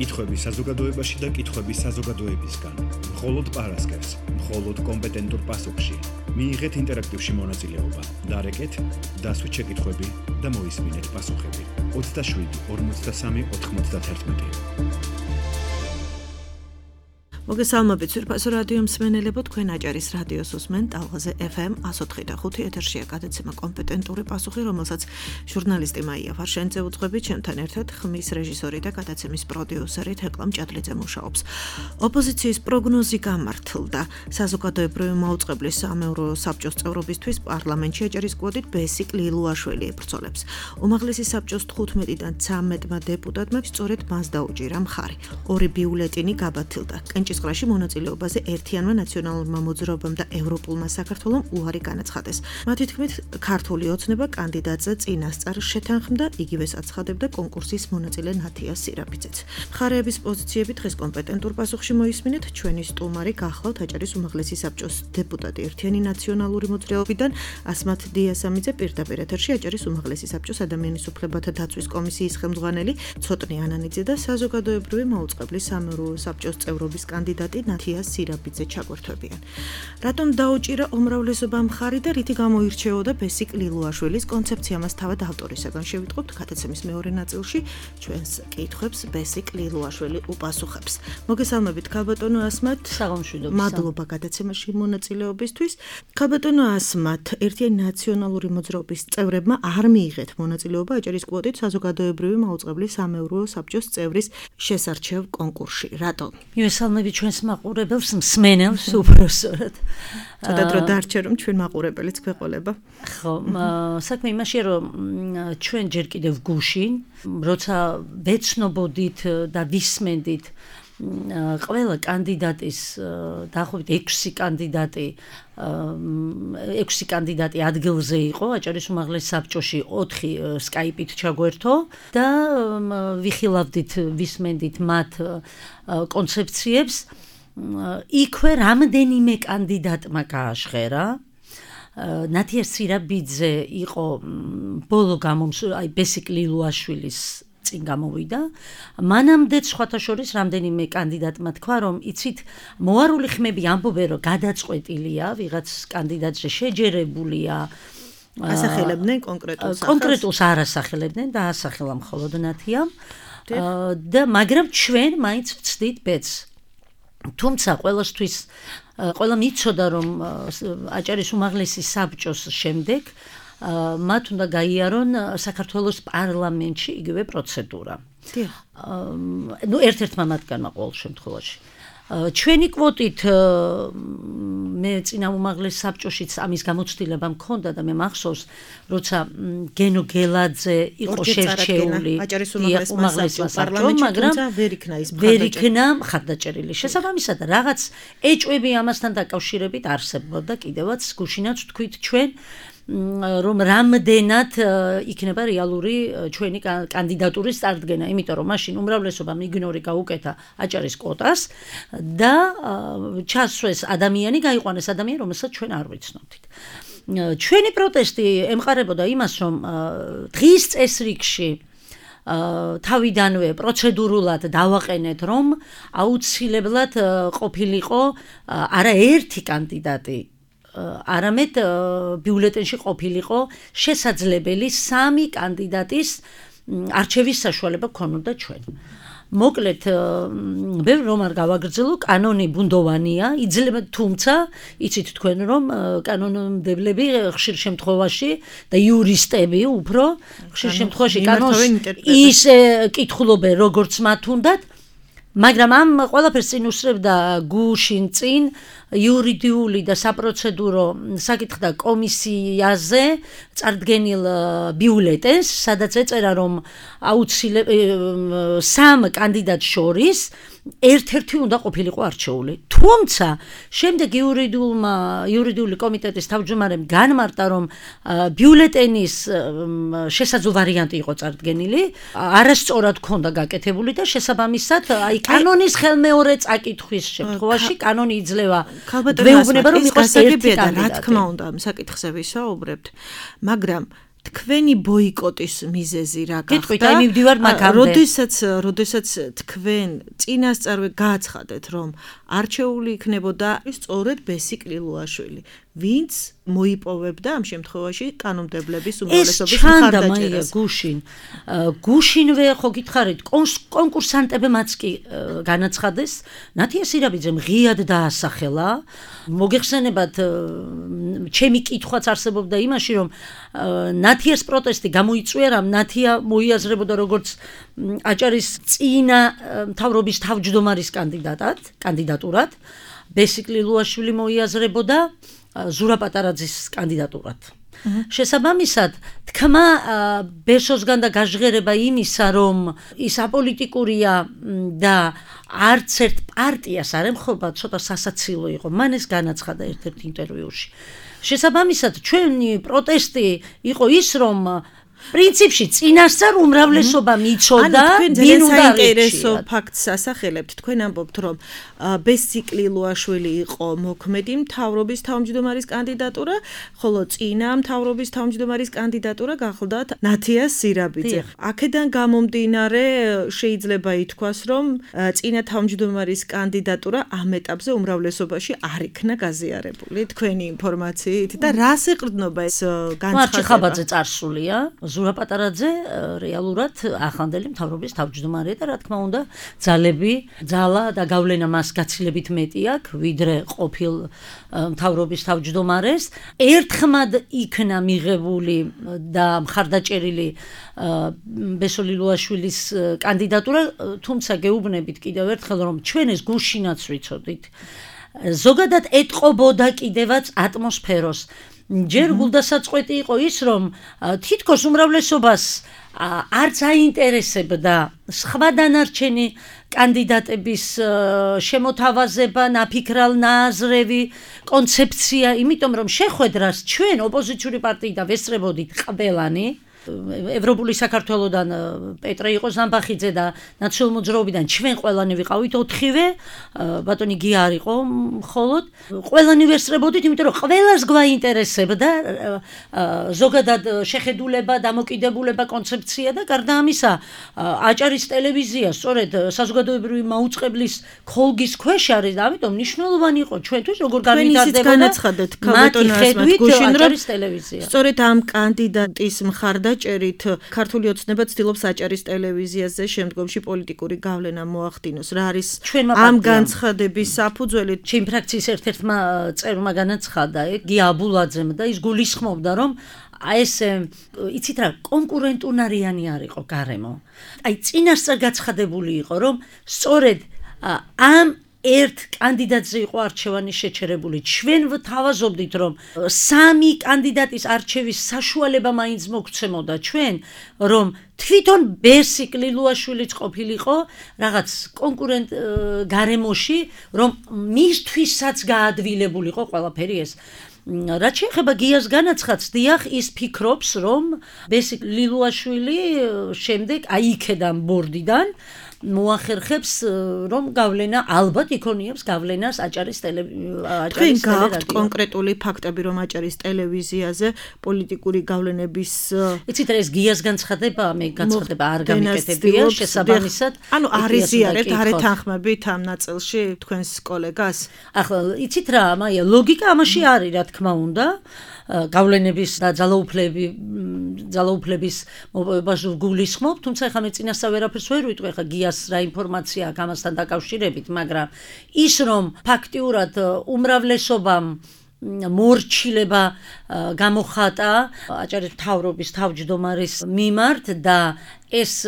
კითხვები საზოგადოებაში და კითხვები საზოგადოებისგან. მხოლოდ პარასკევს, მხოლოდ კომპეტენტურ პასუხში. მიიღეთ ინტერაქტივში მონაწილეობა. დარეკეთ, დასვით შეკითხვები და მოისმინეთ პასუხები. 27 43 91. მოგესალმებით სურფასო რადიო მსმენელებო, თქვენ აჭარის რადიოს უსმენთ ტალღაზე FM 104.5 ეთერშია გადაცემა კომპეტენტური პასუხი, რომელსაც ჟურნალისტი მაია ფარშენძე უძღვებით, ჩემთან ერთად ხმის რეჟისორი და გადაცემის პროდიუსერი თეკლა მჭადლიძე მუშაობს. ოპოზიციის პროგნოზი გამართლდა. საზოგადოებრივი მაუწყებლის სამეურო საბჭოს წევრობისთვის პარლამენტში აჭარის კვოტით ბესიკ ლილუაშვილი ებრძოლებს. უმაღლესი საბჭოს 15-დან 13-მა დეპუტატმა სწორედ მას დაუჭირა მხარი. ორი ბიულეტინი გაბათილდა. კენჭისყრაში მონაწილეობაზე ერთიანმა ნაციონალურმა მოძრაობამ და ევროპულმა საქართველომ უარი განაცხადეს. მათი თქმით, ქართული ოცნება კანდიდატზე წინასწარ შეთანხმდა, იგივეს აცხადებდა კონკურსის მონაწილე ნათია სირაფიძეც. მხარეების პოზიციები დღეს კომპეტენტურ პასუხში მოისმინეთ. ჩვენი სტუმარი გახლავთ აჭარის უმაღლესი საბჭოს დეპუტატი ერთიანი ნაციონალური მოძრაობიდან ასმათ დიასამიძე, პირდაპირ ეთერში აჭარის უმაღლესი საბჭოს ადამიანის უფლებათა დაცვის კომისიის ხელმძღვანელი ცოტნე ანანიძე და საზოგადოებრივი მაუწყებლის სამეურო საბჭოს წევრობის კანდიდატი ნათია სირაფიძე ჩაგვერთვებიან. რატომ დაუჭირა უმრავლესობა მხარი და რითი გამოირჩეოდა ბესიკ ლილუაშვილის კონცეფცია, მას თავად ავტორისაგან შევიტყობთ გადაცემის მეორე ნაწილში. ჩვენს კითხვებს ბესიკ ლილუაშვილი უპასუხებს. მოგესალმებით ქალბატონო ასმათ. საღამოშვიდობა. მადლობა გადაცემაში მონაწილეობისთვის. ქალბატონო ასმათ, ერთიანი ნაციონალური მოძრაობის წევრებმა არ მიიღეთ მონაწილეობა აჭარის კვოტით საზოგადოებრივი მაუწყებლის სამეურო საბჭოს წევრის შესარჩევ კონკურსში. რატომ? მივესალმებით ჩვენს მაყურებელს, მსმენელს უბრალოდ. ცოტა დრო დარჩა რომ ჩვენ მაყურებელიც გვეყოლება. ხო, საქმე იმაშია რომ ჩვენ ჯერ კიდევ გუშინ, როცა ვეცნობოდით და ვისმენდით ყველა კანდიდატის დაახლოებით 6 კანდიდატი ადგილზე იყო აჭარის უმაღლეს საბჭოში 4 სკაიპით ჩაგვერთო და ვიხილავდით, ვისმენდით მათ კონცეფციებს. იქვე რამდენიმე კანდიდატმა გააჟღერა. ნათია სირაფიძე იყო ბოლო ბესიკ ლილუაშვილის წინ გამოვიდა. მანამდეც სხვათა შორის რამდენიმე კანდიდატმა თქვა, რომ იცით, მოარული ხმები ამბობენ, რომ გადაწყვეტილია, ვიღაც კანდიდატზე შეჯერებულია. ასახელებდნენ კონკრეტულს არ ასახელებდნენ და ასახელა მხოლოდ ნათიამ. და მაგრამ ჩვენ მაინც ვცდით ბედს. თუმცა ყველამ იცოდა, რომ აჭარის უმაღლესი საბჭოს შემდეგ მათ უნდა გაიარონ საქართველოს პარლამენტში იგივე პროცედურა. ერთ-ერთმა მათგანმა ყოველ შემთხვევაში. ჩვენი კვოტით მე წინა უმაღლეს საბჭოშიც ამის გამოცდილება მქონდა და მე მახსოვს, როცა გენო გელაძე იყო შერჩეული აჭარის უმაღლეს პარლამენტში, მაგრამ ვერ იქნა მხარდაჭერილი. შესაბამისად, რაღაც ეჭვები ამასთან დაკავშირებით არსებობდა კიდევაც, გუშინაც თქვით ჩვენ, რომ რამდენად იქნება რეალური ჩვენი კანდიდატურის წარდგენა, იმიტომ რომ მაშინ უმრავლესობამ იგნორი გაუკეთა აჭარის კვოტას და ჩასვეს ადამიანი, გაიყვანეს ადამიანი, რომელსაც ჩვენ არ ვიცნობდით. ჩვენი პროტესტი ემყარებოდა იმას, რომ დღის წესრიგში თავიდანვე პროცედურულად დავაყენეთ, რომ აუცილებლად ყოფილიყო არა ერთი კანდიდატი, არამედ ბიულეტენში ყოფილიყო შესაძლებელი 3 კანდიდატის არჩევის საშუალება ქონოდა ჩვენ. მოკლედ, ბევრ რომ არ გავაგრძელო, კანონი ბუნდოვანია, იძლევა, თუმცა იცით თქვენ რომ კანონმდებლები ხშირ შემთხვევაში და იურისტები უფრო ხშირ შემთხვევაში კანონს ისე კითხულობენ, როგორც მათ უნდათ, მაგრამ ამ ყველაფერს წინ უსწრებდა გუშინ წინ იურიდიული და საპროცედურო საკითხთა კომისიაზე წარდგენილ ბიულეტენს, სადაც ეწერა, რომ აუცილებლად 3 კანდიდატს შორის ერთ-ერთი უნდა ყოფილიყო არჩეული. თუმცა შემდეგ იურიდიული კომიტეტის თავმჯდომარემ განმარტა, რომ ბიულეტენის შესაძლო ვარიანტი იყო წარდგენილი, არასწორად ქონდა გაკეთებული და შესაბამისად, აი კანონის ხელმეორე წაკითხვის შემთხვევაში კანონი იძლევა ვეუბნება, რომ იყოს ერთი კანდიდატი. რა თქმა უნდა, ამ საკითხზე ვისაუბრებთ, მაგრამ თქვენი ბოიკოტის მიზეზი რა გახდა? გეტყვით, აი მივდივარ მაგამდე. როდესაც თქვენ წინასწარვე გააცხადეთ, რომ არჩეული იქნებოდა სწორედ ბესიკ ლილუაშვილი, ვინც მოიპოვებდა ამ შემთხვევაში კანონმდებლების უმრავლესობის მხარდაჭერას. გუშინვე ხო გითხარით, კონკურსანტებმაც კი განაცხადეს, ნათია სირაბიძემ ღიად დაასახელა. მოგეხსენებათ, ჩემი კითხვაც არსებობდა იმაში, რომ ნათიას პროტესტი გამოიწვია, რომ ნათია მოიაზრებოდა როგორც აჭარის წინა მთავრობის თავმჯდომარის კანდიდატურად, ბესიკ ლილუაშვილი მოიაზრებოდა ზურა პატარაძის კანდიდატურად. შესაბამისად, თქმა ბესოსგან და გაჟღერება იმისა, რომ ის აპოლიტიკურია და არც ერთ პარტიას არ ემხრობა, ცოტა სასაცილო იყო. მან ეს განაცხადა ერთ-ერთ ინტერვიუში. შესაბამისად, ჩვენი პროტესტი იყო ის, რომ პრინციპში წინასწარ უმრავლესობა მიცოდა, ვინ უნდა საინტერესო ფაქტს ასახელებთ. თქვენ ამბობთ, რომ ბესიკ ლილუაშვილი იყო მოქმედი მთავრობის თავმჯდომარის კანდიდატურა, ხოლო წინა მთავრობის თავმჯდომარის კანდიდატურა გახლდათ ნათია სირაბიძე. აქედან გამომდინარე შეიძლება ითქვას, რომ წინა თავმჯდომარის კანდიდატურა ამ ეტაპზე უმრავლესობაში არ იქნა გაზიარებული თქვენი ინფორმაციით და რას ეყრდნობა ეს განცხადება? მარჩი ხაბაძე წარსულია. ზურა პატარაძე რეალურად ახანდელი მთავრობის თავმჯდომარეა და რა თქმა უნდა ძალა და გავლენა მას გაცილებით მეტი აქვს ვიდრე ყოფილ მთავრობის თავმჯდომარეს. ერთხმად იქნა მიღებული და მხარდაჭერილი ბესო ლილუაშვილის კანდიდატურა, თუმცა გეუბნებით კიდევ ერთხელ, რომ ჩვენ ეს გუშინაც ვიცოდით. ზოგადად ეტყობოდა კიდევაც ატმოსფეროს. ჯერ გულდასაწყვეტი იყო ის, რომ თითქოს უმრავლესობას არც აინტერესებდა სხვა დანარჩენი კანდიდატების შემოთავაზება, ნაფიქრალ ნააზრევი კონცეფცია, იმიტომ რომ შეხვედრას ჩვენ ოპოზიციური პარტიიდან ვესწრებოდით ყველანი. ევროპული საქართველოდან პეტრე იყო ზამბახიძე და ნაციონალურ მოძრაობიდან ჩვენ ყველანი ვიყავით 4-ვე, ბატონი გია არ იყო მხოლოდ. ყველანი ვესწრებოდით, იმიტომ რომ ყველას გვაინტერესებდა ზოგადად შეხედულება, დამოკიდებულება, კონცეფცია და გარდა ამისა, აჭარის ტელევიზია სწორედ საზოგადოებრივი მაუწყებლის ხოლგის ქვეშ არის და ამიტომ მნიშვნელოვანი იყო ჩვენთვის როგორ განვითარდება განაცხადეთ ქალბატონას გუშინ რომ ტელევიზია. სწორედ ამ კანდიდატის მხარდაჭერით ქართული ოცნება ცდილობს აჭარის ტელევიზიაზე შემდგომში პოლიტიკური გავლენა მოახდინოს. რა არის ამ განცხადების საფუძველი? ჩემი ფრაქციის ერთ-ერთმა წერმა განაცხადა, გია აბულაძემ და ის გულისხმობდა, რომ ეს იცით რა, კონკურენტუნარიანი არ იყო გარემო. აი წინასწარ გაცხადებული იყო, რომ სწორედ ამ ერთ კანდიდატზე იყო არჩევანი შეჩერებული. ჩვენ ვთავაზობდით, რომ 3 კანდიდატის არჩევის საშუალება მაინც მოგცემოდა ჩვენ, რომ თვითონ ბესიკ ლილუაშვილიც ყოფილიყო რაღაც კონკურენტ გარემოში, რომ მისთვისაც გაადვილებულიყო ყველაფერი ეს. რაც შეეხება გიას განაცხადს, დიახ, ის ფიქრობს, რომ ბესიკ ლილუაშვილი შემდეგ აი იქედან ბორდიდან მოახერხებს, რომ გავლენა ალბათ იქონიებს გავლენას აჭარის ტელევიზიაზე. გააქვთ კონკრეტული ფაქტები, რომ აჭარის ტელევიზიაზე პოლიტიკური გავლენების იცით რა, ეს გიას განცხადება, მე განცხადება არ გამიკეთებია, შესაბამისად. ანუ არ იზიარებთ, არ ეთანხმებით ამ ნაწილში თქვენს კოლეგას? ახლა იცით რა, მაია ლოგიკა ამაში არის, რა თქმა უნდა. გავლენების და ძალაუფლების მოპოვებას გულისხმობ, თუმცა ახლა მე წინასწარ ვერაფერს ვერ ვიტყვი, ახლა გიას რა ინფორმაცია აქვს ამასთან დაკავშირებით, მაგრამ ის რომ ფაქტიურად უმრავლესობამ მორჩილება გამოხატა აჭარის მთავრობის თავმჯდომარის მიმართ და ეს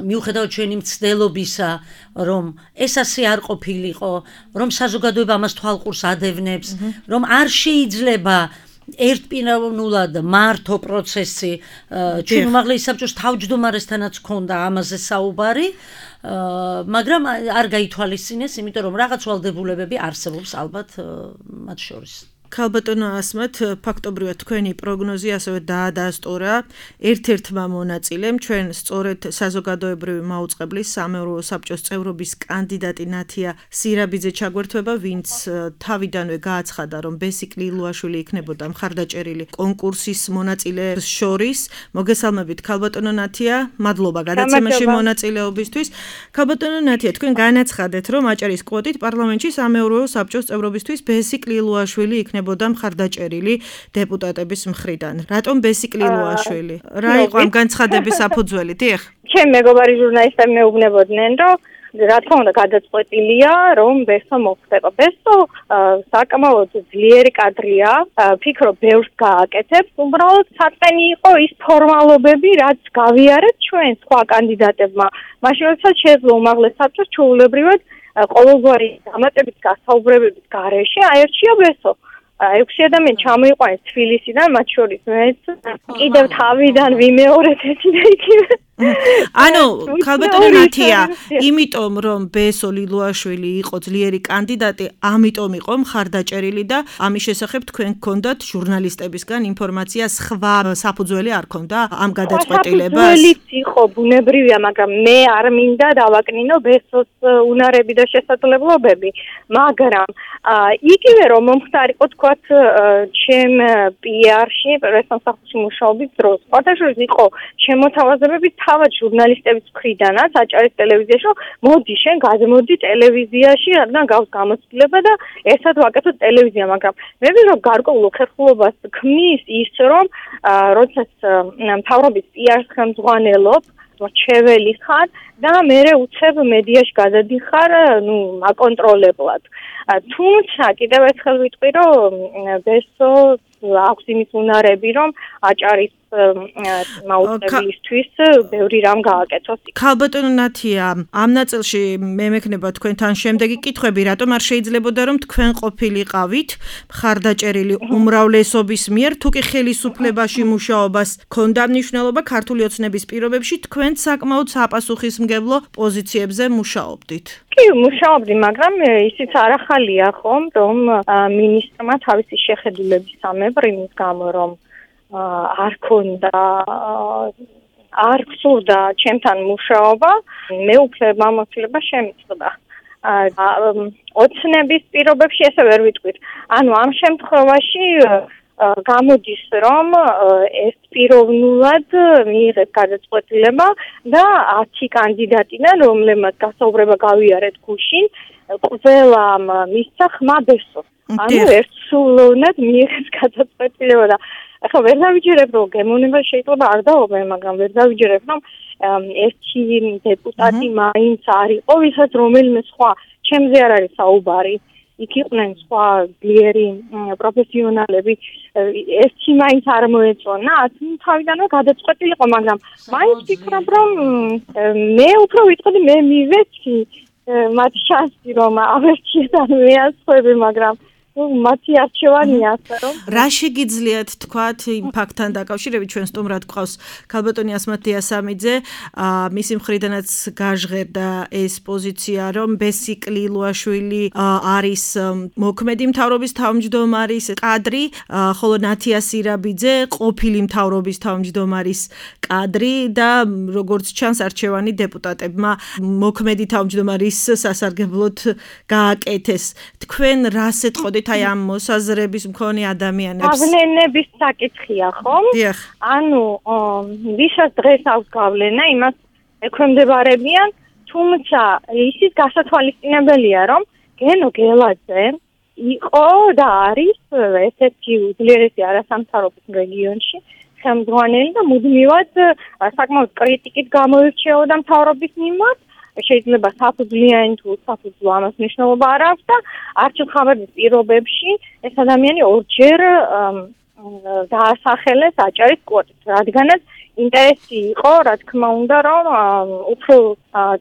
მიუხედავად ჩვენი მცდელობისა, რომ ეს ასე არ ყოფილიყო, რომ საზოგადოება ამას თვალყურს ადევნებს, რომ არ შეიძლება ერთპიროვნულად მართო პროცესი ჩვენ უმაღლესი საბჭოს თავმჯდომარესთანაც ჰქონდა ამაზე საუბარი, მაგრამ არ გაითვალისწინეს, იმიტომ რომ რაღაც ვალდებულებები არსებობს ალბათ მათ შორის. ქალბატონო ასმათ, ფაქტობრივად თქვენი პროგნოზი ასევე დაადასტურა ერთ-ერთმა მონაწილემ, ჩვენ სწორედ საზოგადოებრივი მაუწყებლის სამეურვეო საბჭოს წევრობის კანდიდატი ნათია სირაბიძე ჩაგვერთვება, ვინც თავიდანვე გააცხადა, რომ ბესიკ ლილუაშვილი იქნებოდა მხარდაჭერილი კონკურსის მონაწილეებს შორის. მოგესალმებით ქალბატონო ნათია, მადლობა გადაცემაში მონაწილეობისთვის. ქალბატონო ნათია, თქვენ განაცხადეთ, რომ აჭარის კვოტით პარლამენტში სამეურვეო საბჭოს წევრობისთვის ბესიკ ლილუაშვილი იქნებოდა მხარდაჭერილი დეპუტატების მხრიდან. რატომ ბესიკ ლილუაშვილი? რა იყო ამ განცხადების საფუძველი? დიახ. ჩემი მეგობარი ჟურნალისტები მეუბნებოდნენ, რომ რა თქმა უნდა გადაწყვეტილია, რომ ბესო მოხდება. ბესო საკმაოდ ძლიერი კადრია, ფიქრობ ბევრს გააკეთებს. უბრალოდ საწყენი იყო ის ფორმალობები, რაც გავიარეთ ჩვენ სხვა კანდიდატებმა. მაშინ როდესაც შეძლო უმაღლეს საბჭოს ჩვეულებრივად ყოველგვარი დამატებით გასაუბრებების გარეშე აერჩია ბესო. 6 ადამიანი ჩამოიყვანეს თბილისიდან, მათ შორის მეც კიდევ თავიდან ვიმეორეთ ეს და იქ. ანუ ქალბატონო ნათია, იმიტომ რომ ბესო ლილუაშვილი იყო ძლიერი კანდიდატი, ამიტომ იყო მხარდაჭერილი და ამის შესახებ თქვენ გქონდათ ჟურნალისტებისგან ინფორმაცია, სხვა საფუძველი არ ქონდა ამ გადაწყვეტილებას? საფუძველიც იყო ბუნებრივია, მაგრამ მე არ მინდა დავაკნინო ბესოს უნარები და შესაძლებლობები, მაგრამ იგივე რომ მომხდარიყო თქვათ ჩემ PR-ში, პრესსამსახურში მუშაობის დროს, ყოველთვის იყო შემოთავაზებები თავად ჟურნალისტების მხრიდანაც აჭარის ტელევიზიაში, რომ მოდი შენ გადმოდი ტელევიზიაში, რადგან გავს გამოცდილება და ერთად ვაკეთოთ ტელევიზია, მაგრამ მე ვიღებ რომ გარკვეულ ხერხულობას ქმნის ის, რომ როდესაც მთავრობის PR-ს ხელმძღვანელობ, მოჩეველი ხარ და მერე უცებ მედიაში გადადიხარ, აკონტროლებლად. თუმცა კიდევ ერთხელ ვიტყვი, რომ ბესო აქვს იმის უნარები, რომ აჭარის მაუწყებლისთვის ბევრი რამ გააკეთოს. ქალბატონო ნათია, ამ ნაწილში მე მექნება თქვენთან შემდეგი კითხვები, რატომ არ შეიძლებოდა რომ თქვენ ყოფილიყავით მხარდაჭერილი უმრავლესობის მიერ, თუ კი ხელისუფლებაში მუშაობას ჰქონდა მნიშვნელობა ქართული ოცნების პირობებში, თქვენ საკმაოდ საპასუხისმგებლო პოზიციებზე მუშაობდით. კი, მუშაობდი, მაგრამ ისიც არ ახალია ხომ, რომ მინისტრმა თავისი შეხედულების ამებრ იმის გამო, რომ არ ქონდა, არ გსურდა ჩემთან მუშაობა, მე უკვე მამოწილება შემიწყდა. ოცნების პირობებში ესე ვერ ვიტყვით. ანუ ამ შემთხვევაში გამოდის, რომ ეს პიროვნულად მიიღეს გადაწყვეტილება და 10 კანდიდატიდან, რომლებმაც გასაუბრება გავიარეთ გუშინ, ყველამ მისცა ხმა ბესო. ანუ ერთსულოვნად მიიღეს გადაწყვეტილება და ახლა ვერ დავიჯერებ, რომ გემოვნება შეიძლება არ დაობენ, მაგრამ ვერ დავიჯერებ, რომ ერთი დეპუტატი მაინც არ იყო, ვისაც რომელიმე სხვა ჩემზე არ არის საუბარი. იქ იყვნენ სხვა ძლიერი პროფესიონალები, ერთი მაინც არ მოეწონა, თავიდანვე გადაწყვეტილი იყო, მაგრამ მაინც ვფიქრობ, რომ მე უფრო ვიტყოდი, მე მივეცი მათ შანსი, რომ ავერჩიეთ ან მეასხვები, მაგრამ მათი არჩევანია ასე რომ რა შეგიძლიათ თქვათ იმ ფაქტთან დაკავშირებით, ჩვენ სტუმრად გვყავს ქალბატონი ასმათ დიასამიძე, მისი მხრიდანაც გაჟღერდა ეს პოზიცია, რომ ბესიკ ლილუაშვილი არის მოქმედი მთავრობის თავმჯდომარის კადრი, ხოლო ნათია სირაბიძე ყოფილი მთავრობის თავმჯდომარის კადრი და როგორც ჩანს არჩევანი დეპუტატებმა მოქმედი თავმჯდომარის სასარგებლოდ გააკეთეს. თქვენ რას ეთყოდით აი ამ მოსაზრების მქონე ადამიანებს? გავლენების საკითხია, ხომ? დიახ. ანუ ვისაც დღეს აქვს გავლენა, იმას ექვემდებარებიან, თუმცა ისიც გასათვალისწინებელია, რომ გენო გელაძე იყო და არის ერთ-ერთი უძლიერესი არასამთავრობო რეგიონში ხელმძღვანელი და მუდმივად საკმაოდ კრიტიკით გამოირჩეოდა მთავრობის მიმართ. შეიძლება საფუძვლიანი თუ საფუძვლო ამას მნიშვნელობა არ აქვს და არჩილ-ხაბადის პირობებში ეს ადამიანი ორჯერ დაასახელეს აჭარის კვოტით, რადგანაც ინტერესი იყო, რა თქმა უნდა, რომ უფრო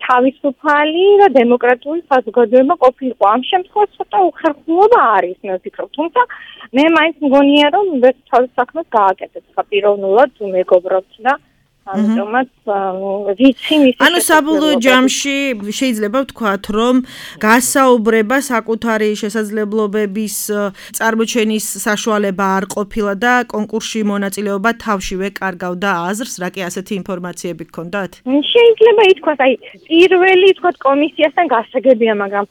თავისუფალი და დემოკრატიული საზოგადოება ყოფილიყო. ამ შემთხვევაში ცოტა უხერხულობა არის, მე ვფიქრობ, თუმცა მე მაინც მგონია, რომ ეს თავის საქმეს გააკეთებს, პიროვნულად თუ მეგობრობთ და ამიტომაც ვიცი მისი ანუ საბოლოო ჯამში შეიძლება ვთქვათ, რომ გასაუბრება საკუთარი შესაძლებლობების წარმოჩენის საშუალება არ ყოფილა და კონკურსში მონაწილეობა თავშივე კარგავდა აზრს, რა კი ასეთი ინფორმაციები გქონდათ? შეიძლება ითქვას, პირველი თქვათ კომისიასთან გასაგებია, მაგრამ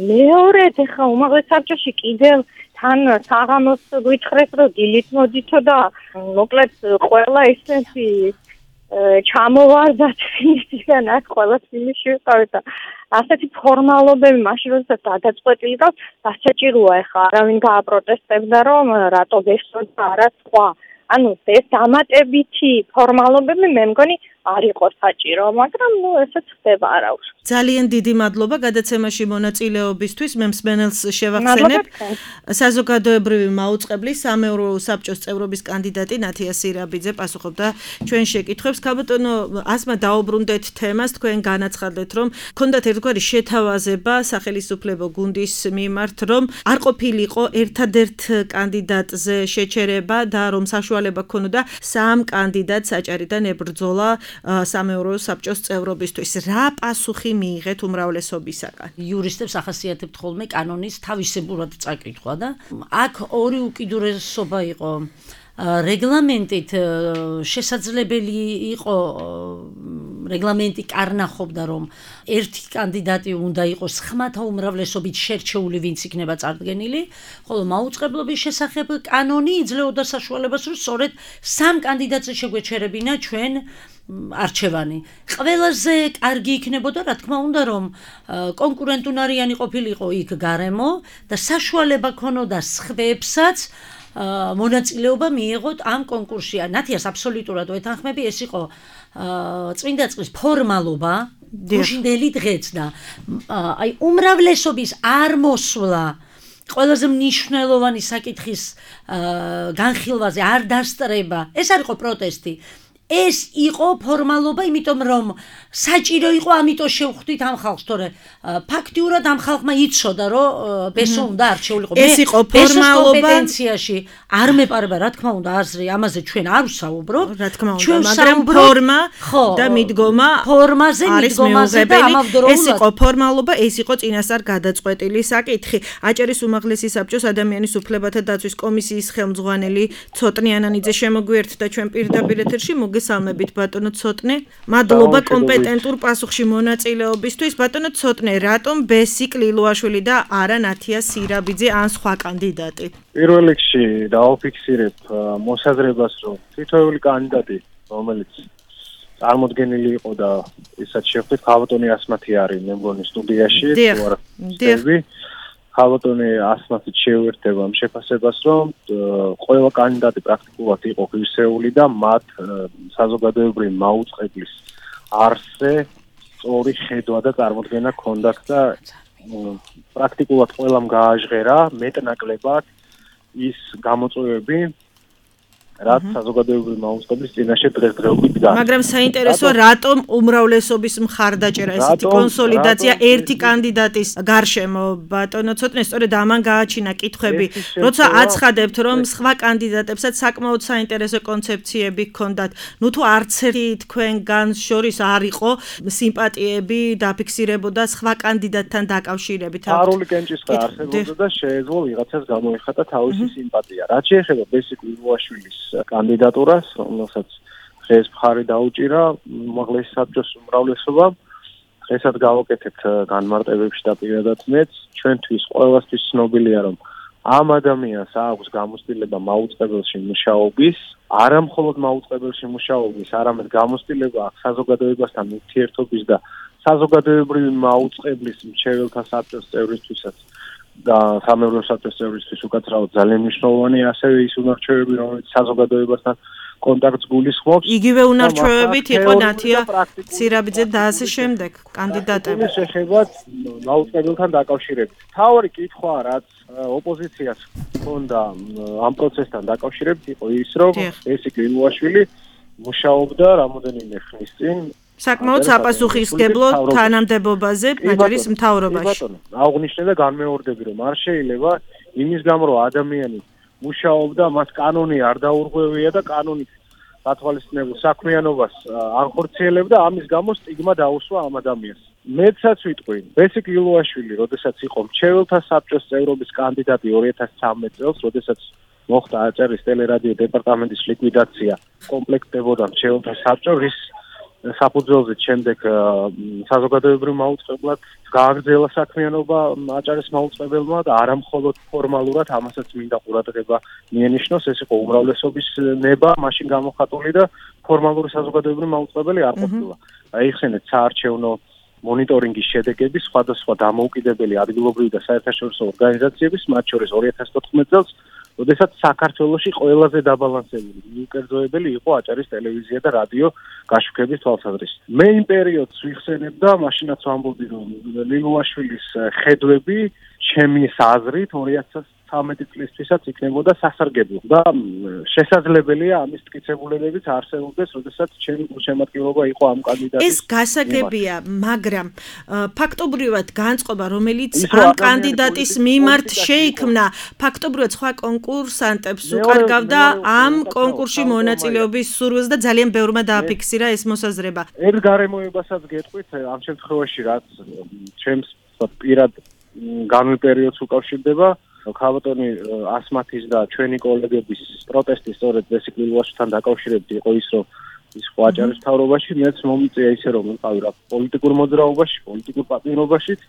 მეორედ ახლა უმაღლეს საბჭოში კიდევ თან საღამოს გვითხრეს, რომ დილით მოდითო და მოკლედ ყველა ესეთი ჩამოვარდათ ისიდან აქ ყველა ფილმში ვიყავით და ასეთი ფორმალობები მაშინ როდესაც გადაწყვეტილი და დასაჭიროა ახლა არავინ გააპროტესტებდა რომ რატო გესწოდა არა სხვა ანუ ეს დამატებითი ფორმალობები მე მგონი არ იყო საჭირო, მაგრამ ესეც ხდება არაუშ. ძალიან დიდი მადლობა გადაცემაში მონაწილეობისთვის. მე მსმენელს შევახსენებ. საზოგადოებრივი მაუწყებლის სამეურვეო საბჭოს წევრობის კანდიდატი ნათია სირაბიძე პასუხობდა ჩვენ შეკითხვებს. ქალბატონო, ასმა დაუბრუნდეთ თემას, თქვენ განაცხადეთ, რომ ქონდათ ერთგვარი შეთავაზება სახელმწიფო გუნდის მიმართ, რომ არ ყოფილიყო ერთადერთ კანდიდატზე შეჩერება და რომ საშუალება ქონოდა სამ კანდიდატს აჭარიდან ებრძოლა სამეურვეო საბჭოს წევრობისთვის. რა პასუხი მიიღეთ უმრავლესობისაგან? იურისტებს ახასიათებთ ხოლმე კანონის თავისებურად წაკითხვა და აქ ორი უკიდურესობა იყო. რეგლამენტით შესაძლებელი იყო რეგლამენტი კარნახობდა რომ ერთი კანდიდატი უნდა იყოს ხმათა უმრავლესობით შერჩეული ვინც იქნება წარდგენილი, ხოლო მაუწყებლობის შესახებ კანონი იძლეოდა საშუალებას რომ სწორედ სამ კანდიდატზე შეგვეჩერებინა ჩვენ არჩევანი. ყველაზე კარგი იქნებოდა რა თქმა უნდა რომ კონკურენტუნარიანი ყოფილიყო იქ გარემო და საშუალება ქონოდა სხვებსაც მონაწილეობა მიიღოთ ამ კონკურსში. ნათიას აბსოლუტურად ვეთანხმები, ეს იყო წმინდა წყლის ფორმალობა, გუშინდელი დღეც და აი უმრავლესობის არ მოსვლა ყველაზე მნიშვნელოვანი საკითხის განხილვაზე არ დასწრება. ეს არ იყო პროტესტი. ეს იყო ფორმალობა, იმიტომ რომ საჭირო იყო, ამიტომ შევხვდით ამ ხალხს, თორე ფაქტიურად ამ ხალხმა იცოდა, რომ ბესო უნდა არჩეულიყო. ეს იყო ფორმალობა კომპეტენციაში არ მეპარება, რა თქმა უნდა, აზრი ამაზე ჩვენ არ ვსაუბრობ. რა თქმა უნდა, მაგრამ ფორმა და მიდგომა ფორმაზე, მიდგომაზე და ამავდროულად ეს იყო ფორმალობა, ეს იყო წინასწარ გადაწყვეტილი საკითხი. აჭარის უმაღლესი საბჭოს ადამიანის უფლებათა დაცვის კომისიის ხელმძღვანელი ცოტნე ანანიძე შემოგვიერთდა ჩვენ პირდაპირ ეთერში. მოგესალმებით ბატონო ცოტნე. მადლობა კომპეტენტურ პასუხში მონაწილეობისთვის. ბატონო ცოტნე, რატომ ბესი კლილუაშვილი და არა ნათია სირაბიძე ან სხვა კანდიდატი? პირველ რიგში დავაფიქსირებ მოსაზრებას, რომ თითოეული კანდიდატი, რომელიც წარმოდგენილი იყო და ისაც შევხვდით, ქალბატონი ასმათი არის, მე მგონი სტუდიაში, თუ არა ხსნები. ქალბატონი ასმათით შევერთდება ამ შეფასებას, რომ ყველა კანდიდატი პრაქტიკულად იყო ღირსეული და მათ საზოგადოებრივი მაუწყებლის არსზე სწორი ხედვა და წარმოდგენა ჰქონდათ და პრაქტიკულად ყველამ გააჟღერა მეტნაკლებად ის გამოწვევები, რაც საზოგადოებრივი მაუწყებლის წინაშე დღესდღეობით დგას. მაგრამ საინტერესოა, რატომ უმრავლესობის მხარდაჭერა, ესეთი კონსოლიდაცია ერთი კანდიდატის გარშემო? ბატონო ცოტნე, სწორედ ამან გააჩინა კითხვები, როცა აცხადებთ, რომ სხვა კანდიდატებსაც საკმაოდ საინტერესო კონცეფციები ჰქონდათ. ნუ თუ არც ერთი თქვენგან შორის არ იყო სიმპათიები დაფიქსირებოდა სხვა კანდიდატთან დაკავშირებით. არული კენჭისყრა არსებობდა და შეეძლო ვიღაცას გამოიხატა თავისი სიმპათია. რაც შეეხება ბესი კლილუაშვილის კანდიდატურას, რომელსაც დღეს მხარი დაუჭირა უმაღლესი საბჭოს უმრავლესობამ. დღესაც გავაკეთებთ განმარტებებში და პირადად მეც, ჩვენთვის ყველასთვის ცნობილია, რომ ამ ადამიანს აქვს გამოცდილება მაუწყებელში მუშაობის, არა მხოლოდ მაუწყებელში მუშაობის, არამედ გამოცდილება აქვს საზოგადოებასთან ურთიერთობის და საზოგადოებრივი მაუწყებლის მრჩეველთა საბჭოს წევრისთვისაც და სამეურვეო საბჭოს წევრისთვის უკაცრავად ძალიან მნიშვნელოვანი, ასევე ის უნარჩვევები, რომელიც საზოგადოებასთან კონტაქტს გულისხმობს. იგივე უნარჩვევებით იყო ნათია სირაბიძე და ასე შემდეგ კანდიდატები. ეს შეხება მაუწყებელთან დაკავშირებით. თავი კითხვა, რაც ოპოზიციას ჰქონდა ამ პროცესთან დაკავშირებით, იყო ის, რომ ბესი კლილუაშვილი მუშაობდა რამოდენიმე ხნის წინ საკმაოდ საპასუხისმგებლო თანამდებობაზე აჭარის მთავრობაში. აღნიშნე და განმეორდები, რომ არ შეიძლება იმის გამო, რომ ადამიანი მუშაობდა, მას კანონი არ დაურღვევია და კანონით გათვალისწინებულ საქმიანობას აღხორციელებდა, ამის გამო სტიგმა დაუსვა ამ ადამიანს. მეცაც ვიტყვი, ბესიკ ილუაშვილი, როდესაც იყო მრჩეველთა საბჭოს წევრობის კანდიდატი 2013 წელს, როდესაც მოხდა აჭარის ტელერადიო დეპარტამენტის ლიკვიდაცია, კომპლექტდებოდა მრჩეველთა საბჭო, რის საფუძველზე შემდეგ საზოგადოებრივ მაუწყებლად გააგრძელა საქმიანობა აჭარის მაუწყებელმა და არა მხოლოდ ფორმალურად, ამასაც მინდა ყურადღება მიენიშნოს, ეს იყო უმრავლესობის ნება, მაშინ გამოხატული და ფორმალური საზოგადოებრივი მაუწყებელი არ ყოფილა. აიხსენეთ საარჩევნო მონიტორინგის შედეგები სხვადასხვა დამოუკიდებელი ადგილობრივი და საერთაშორისო ორგანიზაციების, მათ შორის 2014 წელს, როდესაც საქართველოში ყველაზე დაბალანსებული მიუკერძოებელი იყო აჭარის ტელევიზია და რადიო გაშუქების თვალსაზრისით. მე იმ პერიოდს ვიხსენებ და მაშინაც ვამბობდი, რომ ლილუაშვილის ხედვები ჩემი აზრით 2013 წლისთვისაც იქნებოდა სასარგებლო და შესაძლებელია ამის მტკიცებულებებიც არსებობდეს, როდესაც ჩემი შემადგენლობა იყო ამ კანდიდატის. ეს გასაგებია, მაგრამ ფაქტობრივად განწყობა, რომელიც ამ კანდიდატის მიმართ შეიქმნა, ფაქტობრივად სხვა კონკურსანტებს უკარგავდა ამ კონკურსში მონაწილეობის სურვილს და ძალიან ბევრმა დააფიქსირა ეს მოსაზრება. ერთ გარემოებასაც გეტყვით, ამ შემთხვევაში რაც ჩემს პირად განვლილ პერიოდს უკავშირდება, ქალბატონი ასმათის და ჩვენი კოლეგების პროტესტი სწორედ ბესიკ ლილუაშვილთან დაკავშირებით იყო ის, რომ ის აჭარის მთავრობაში, მეც მომიწია ისე, რომ ვიყავი რა პოლიტიკურ მოძრაობაში, პოლიტიკურ პატიმრობაშიც,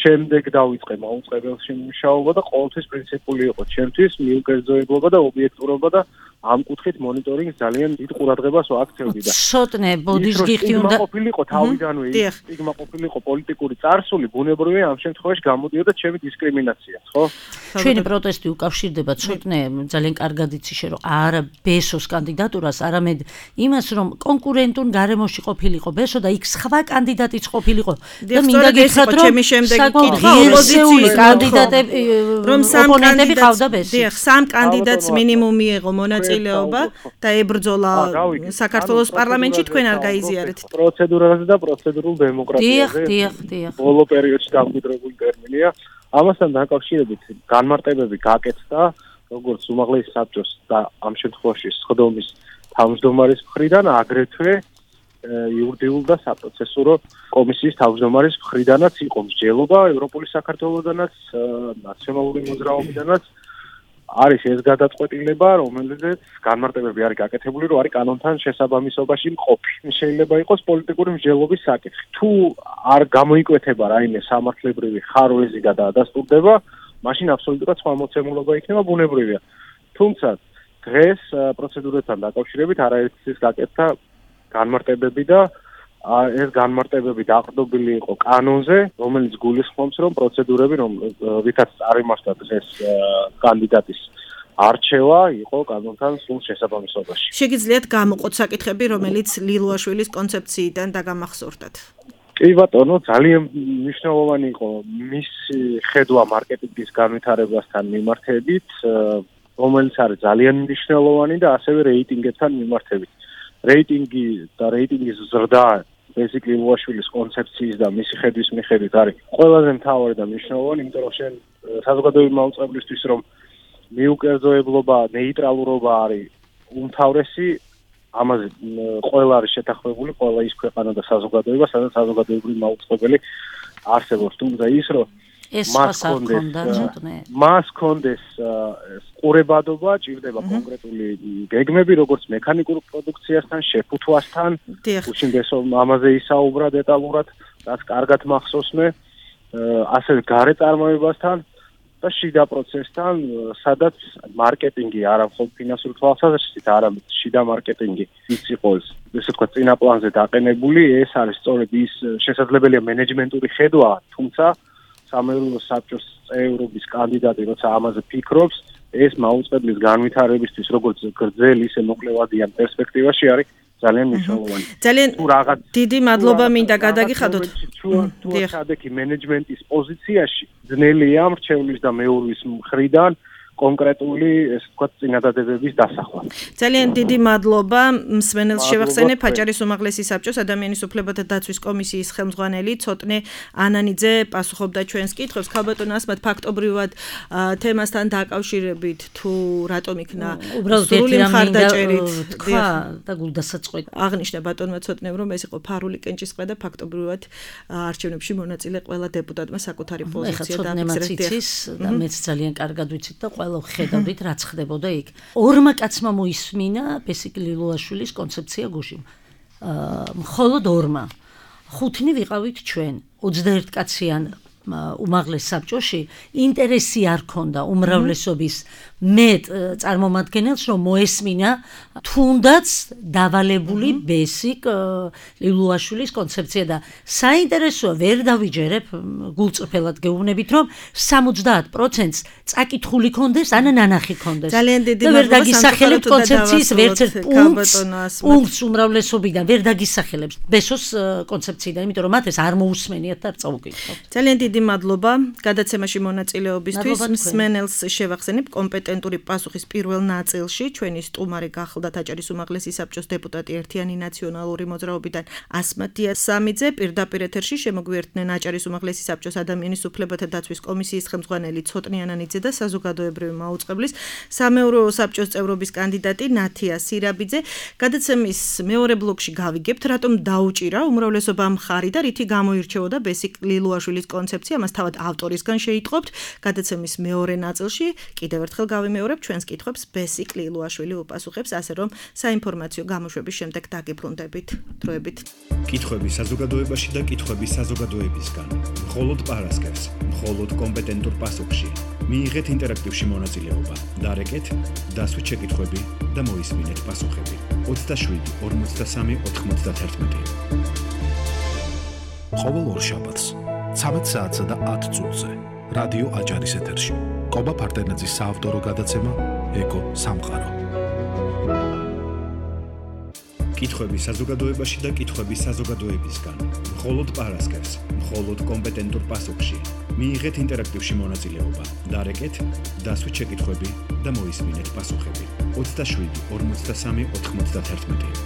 შემდეგ დავიწყე მაუწყებელში მუშაობა და ყოველთვის პრინციპული იყო ჩემთვის მიუკერძოებობა და ობიექტურობა და ამ კუთხით მონიტორინგს ძალიან დიდ ყურადღებას ვაქცევდი და ცოტნე ბოდიშ გიხდი უნდა ყოფილიყო თავიდანვე ის სტიგმა ყოფილიყო პოლიტიკური წარსული, ბუნებრივია ამ შემთხვევაში გამოდიოდა ჩემი დისკრიმინაცია, ხო? ჩვენი პროტესტი უკავშირდება ცოტნე ძალიან კარგად იცი რომ არა ბესოს კანდიდატურას, არამედ იმას, რომ კონკურენტულ გარემოში ყოფილიყო ბესო და იქ სხვა კანდიდატიც ყოფილიყო და მინდა გითხრათ, რომ ჩემი შემდეგი კითხვა ოპოზიციური კანდიდატები რომ ოპონენტები ყავდა ბესო. დიახ, სამ კანდიდატს მინიმუმ მიიღო მონაწილეობა და ებრძოლა საქართველოს პარლამენტში, თქვენ არ გაიზიარეთ. პროცედურაზე და პროცედურულ დემოკრატიაზე. დიახ. ბოლო პერიოდში დამკვიდრებული ტერმინია. ამასთან დაკავშირებით განმარტებები გაკეთდა, როგორც უმაღლესი საბჭოს და ამ შემთხვევაში სხდომის თავმჯდომარის მხრიდან, აგრეთვე იურიდიულ და საპროცესურო კომისიის თავმჯდომარის მხრიდანაც იყო მსჯელობა ევროპული საქართველოსდანაც, ნაციონალური მოძრაობიდანაც. არის ეს გადაწყვეტილება, რომელიც განმარტებები არის გაკეთებული, რომ არის კანონთან შესაბამისობაში მყოფი. შეიძლება იყოს პოლიტიკური მსჯელობის საკითხი. თუ არ გამოიკვეთება რაიმე სამართლებრივი ხარვეზი და დაადასტურდება, მაშინ აბსოლუტურად სხვა მოცემულობა იქნება, ბუნებრივია. თუმცა დღეს პროცედურებთან დაკავშირებით არაერთის გაკეთდა განმარტებები და ეს განმარტებები დაყრდნობილი იყო კანონზე, რომელიც გულისხმობს, რომ პროცედურები, რითაც წარიმართა ეს კანდიდატის არჩევა, იყო კანონთან სულ შესაბამისობაში. შეგიძლიათ გამოყოთ საკითხები, რომელიც ლილუაშვილის კონცეფციიდან დაგამახსოვრდათ? კი ბატონო, ძალიან მნიშვნელოვანი იყო მისი ხედვა მარკეტინგის განვითარებასთან მიმართებით, რომელიც არის ძალიან მნიშვნელოვანი და ასევე რეიტინგებთან მიმართებით. რეიტინგი და რეიტინგის ზრდა ბესიკ ლილუაშვილის კონცეფციის და მისი ხედვის მიხედვით არის ყველაზე მთავარი და მნიშვნელოვანი, იმიტომ რომ შენ საზოგადოებრივი მაუწყებლისთვის რომ მიუკერძოებლობა, ნეიტრალურობა არის უმთავრესი, ამაზე ყველა არის შეთანხმებული, ყველა ის ქვეყანა და საზოგადოება, სადაც საზოგადოებრივი მაუწყებელი არსებობს, თუმცა ის რომ მას კონდეს ყურებადობა, ჭირდება კონკრეტული გეგმები, როგორც მექანიკურ პროდუქციასთან, შეფუთვასთან, უშინდესო ამაზე ისაუბრა დეტალურად, რაც კარგად მახსოვს მე, ასევე გარე წარმოებასთან და შიდა პროცესთან, სადაც მარკეტინგი არა მხოლოდ ფინანსური თვალსაზრისით, არამედ შიდა მარკეტინგი ის იყო, ესე ვთქვათ, წინა პლანზე დაყენებული, ეს არის სწორედ ის შესაძლებელია მენეჯმენტური ხედვა, თუმცა სამეურნეო საბჭოს წევრობის კანდიდატი, როცა ამაზე ფიქრობს, ეს მაუწყებლის განვითარებისთვის, როგორც გრძელ, ისე მოკლევადიან პერსპექტივაში არის ძალიან მნიშვნელოვანი. ძალიან დიდი მადლობა მინდა გადაგიხადოთ. თუ სადექი მენეჯმენტის პოზიციაში ძნელია მრჩევლის და მეურვის მხრიდან კონკრეტული, ესე ვთქვათ, წინადადებების დასახვა. ძალიან დიდი მადლობა მსმენელს შევახსენებ აჭარის უმაღლესი საბჭოს ადამიანის უფლებათა დაცვის კომისიის ხელმძღვანელი ცოტნე ანანიძე პასუხობდა ჩვენს კითხვებს. ქალბატონ ასმათ, ფაქტობრივად თემასთან დაკავშირებით თუ რატომ იქნა სრული მხარდაჭერით თქვა და გულდასაწყვეტი აღნიშნა ბატონმა ცოტნემ, რომ ეს იყო ფარული კენჭისყრა და ფაქტობრივად არჩევნებში მონაწილე ყველა დეპუტატმა საკუთარი პოზიცია დააფიქსირეს და მეც ძალიან კარგად ვიცით და ყველა ხედავდით რაც ხდებოდა იქ. ორმა კაცმა მოისმინა ბესიკ ლილუაშვილის კონცეფცია გუშინ. მხოლოდ ორმა. ხუთნი ვიყავით ჩვენ 21 კაციან უმაღლეს საბჭოში ინტერესი არ ქონდა უმრავლესობის მეტ წარმომადგენელს რომ მოესმინა თუნდაც დავალებული ბესიკ ლილუაშვილის კონცეფცია და საინტერესოა ვერ დავიჯერებ გულწრფელად გეუბნებით რომ 70%-ს წაკითხული კონდეს ან ნანახი კონდეს ძალიან დიდი ვერ დაგისახელებთ კონცეფციის ვერცერთ პუნქტს უმრავლესობიდან ვერ დაგისახელებს ბესოს კონცეფციიდან იმიტომ რომ მათ ეს არ მოусმენიათ და არ წაუკითხავთ ძალიან დიდი მადლობა გადაცემაში მონაწილეობისთვის მსმენელს შევახსენებ კომპეტენტური პასუხის პირველ ნაწილში ჩვენი სტუმარი გახლდათ აჭარის უმაღლესი საბჭოს დეპუტატი ერთიანი ნაციონალური მოძრაობიდან ასმათ დიასამიძე პირდაპირ ეთერში შემოგვიერთდნენ აჭარის უმაღლესი საბჭოს ადამიანის უფლებათა დაცვის კომისიის ხელმძღვანელი ცოტნე ანანიძე და საზოგადოებრივი მაუწყებლის სამეურვეო საბჭოს წევრობის კანდიდატი ნათია სირაბიძე გადაცემის მეორე ბლოკში გავიგებთ რატომ დაუჭირა უმრავლესობა მხარი და რითი გამოირჩეოდა ბესიკ ლილუაშვილის კონცეფცია ამას თავად ავტორისგან შეიტყობთ გადაცემის მეორე ნაწილში კიდევ ერთხელ გავიმეორებ ჩვენს კითხვებს ბესიკ ლილუაშვილი უპასუხებს ასე რომ საინფორმაციო გამოშვების შემდეგ დაგიბრუნდებით დროებით კითხვები საზოგადოებაში და კითხვები საზოგადოებისგან მხოლოდ პარასკევს მხოლოდ კომპეტენტურ პასუხში მიიღეთ ინტერაქტივში მონაწილეობა დარეკეთ დასვით შეკითხვები და მოისმინეთ პასუხები 27 43 91 ყოველ ორშაბათს 13 საათსა და 10 წუთზე რადიო აჭარის ეთერში კობა ფარტენაძის საავტორო გადაცემა ეკო სამყარო კითხვები საზოგადოებაში და კითხვები საზოგადოებისგან მხოლოდ პარასკევს მხოლოდ კომპეტენტურ პასუხში მიიღეთ ინტერაქტივში მონაწილეობა დარეკეთ დასვით შეკითხვები და მოისმინეთ პასუხები 27 43 91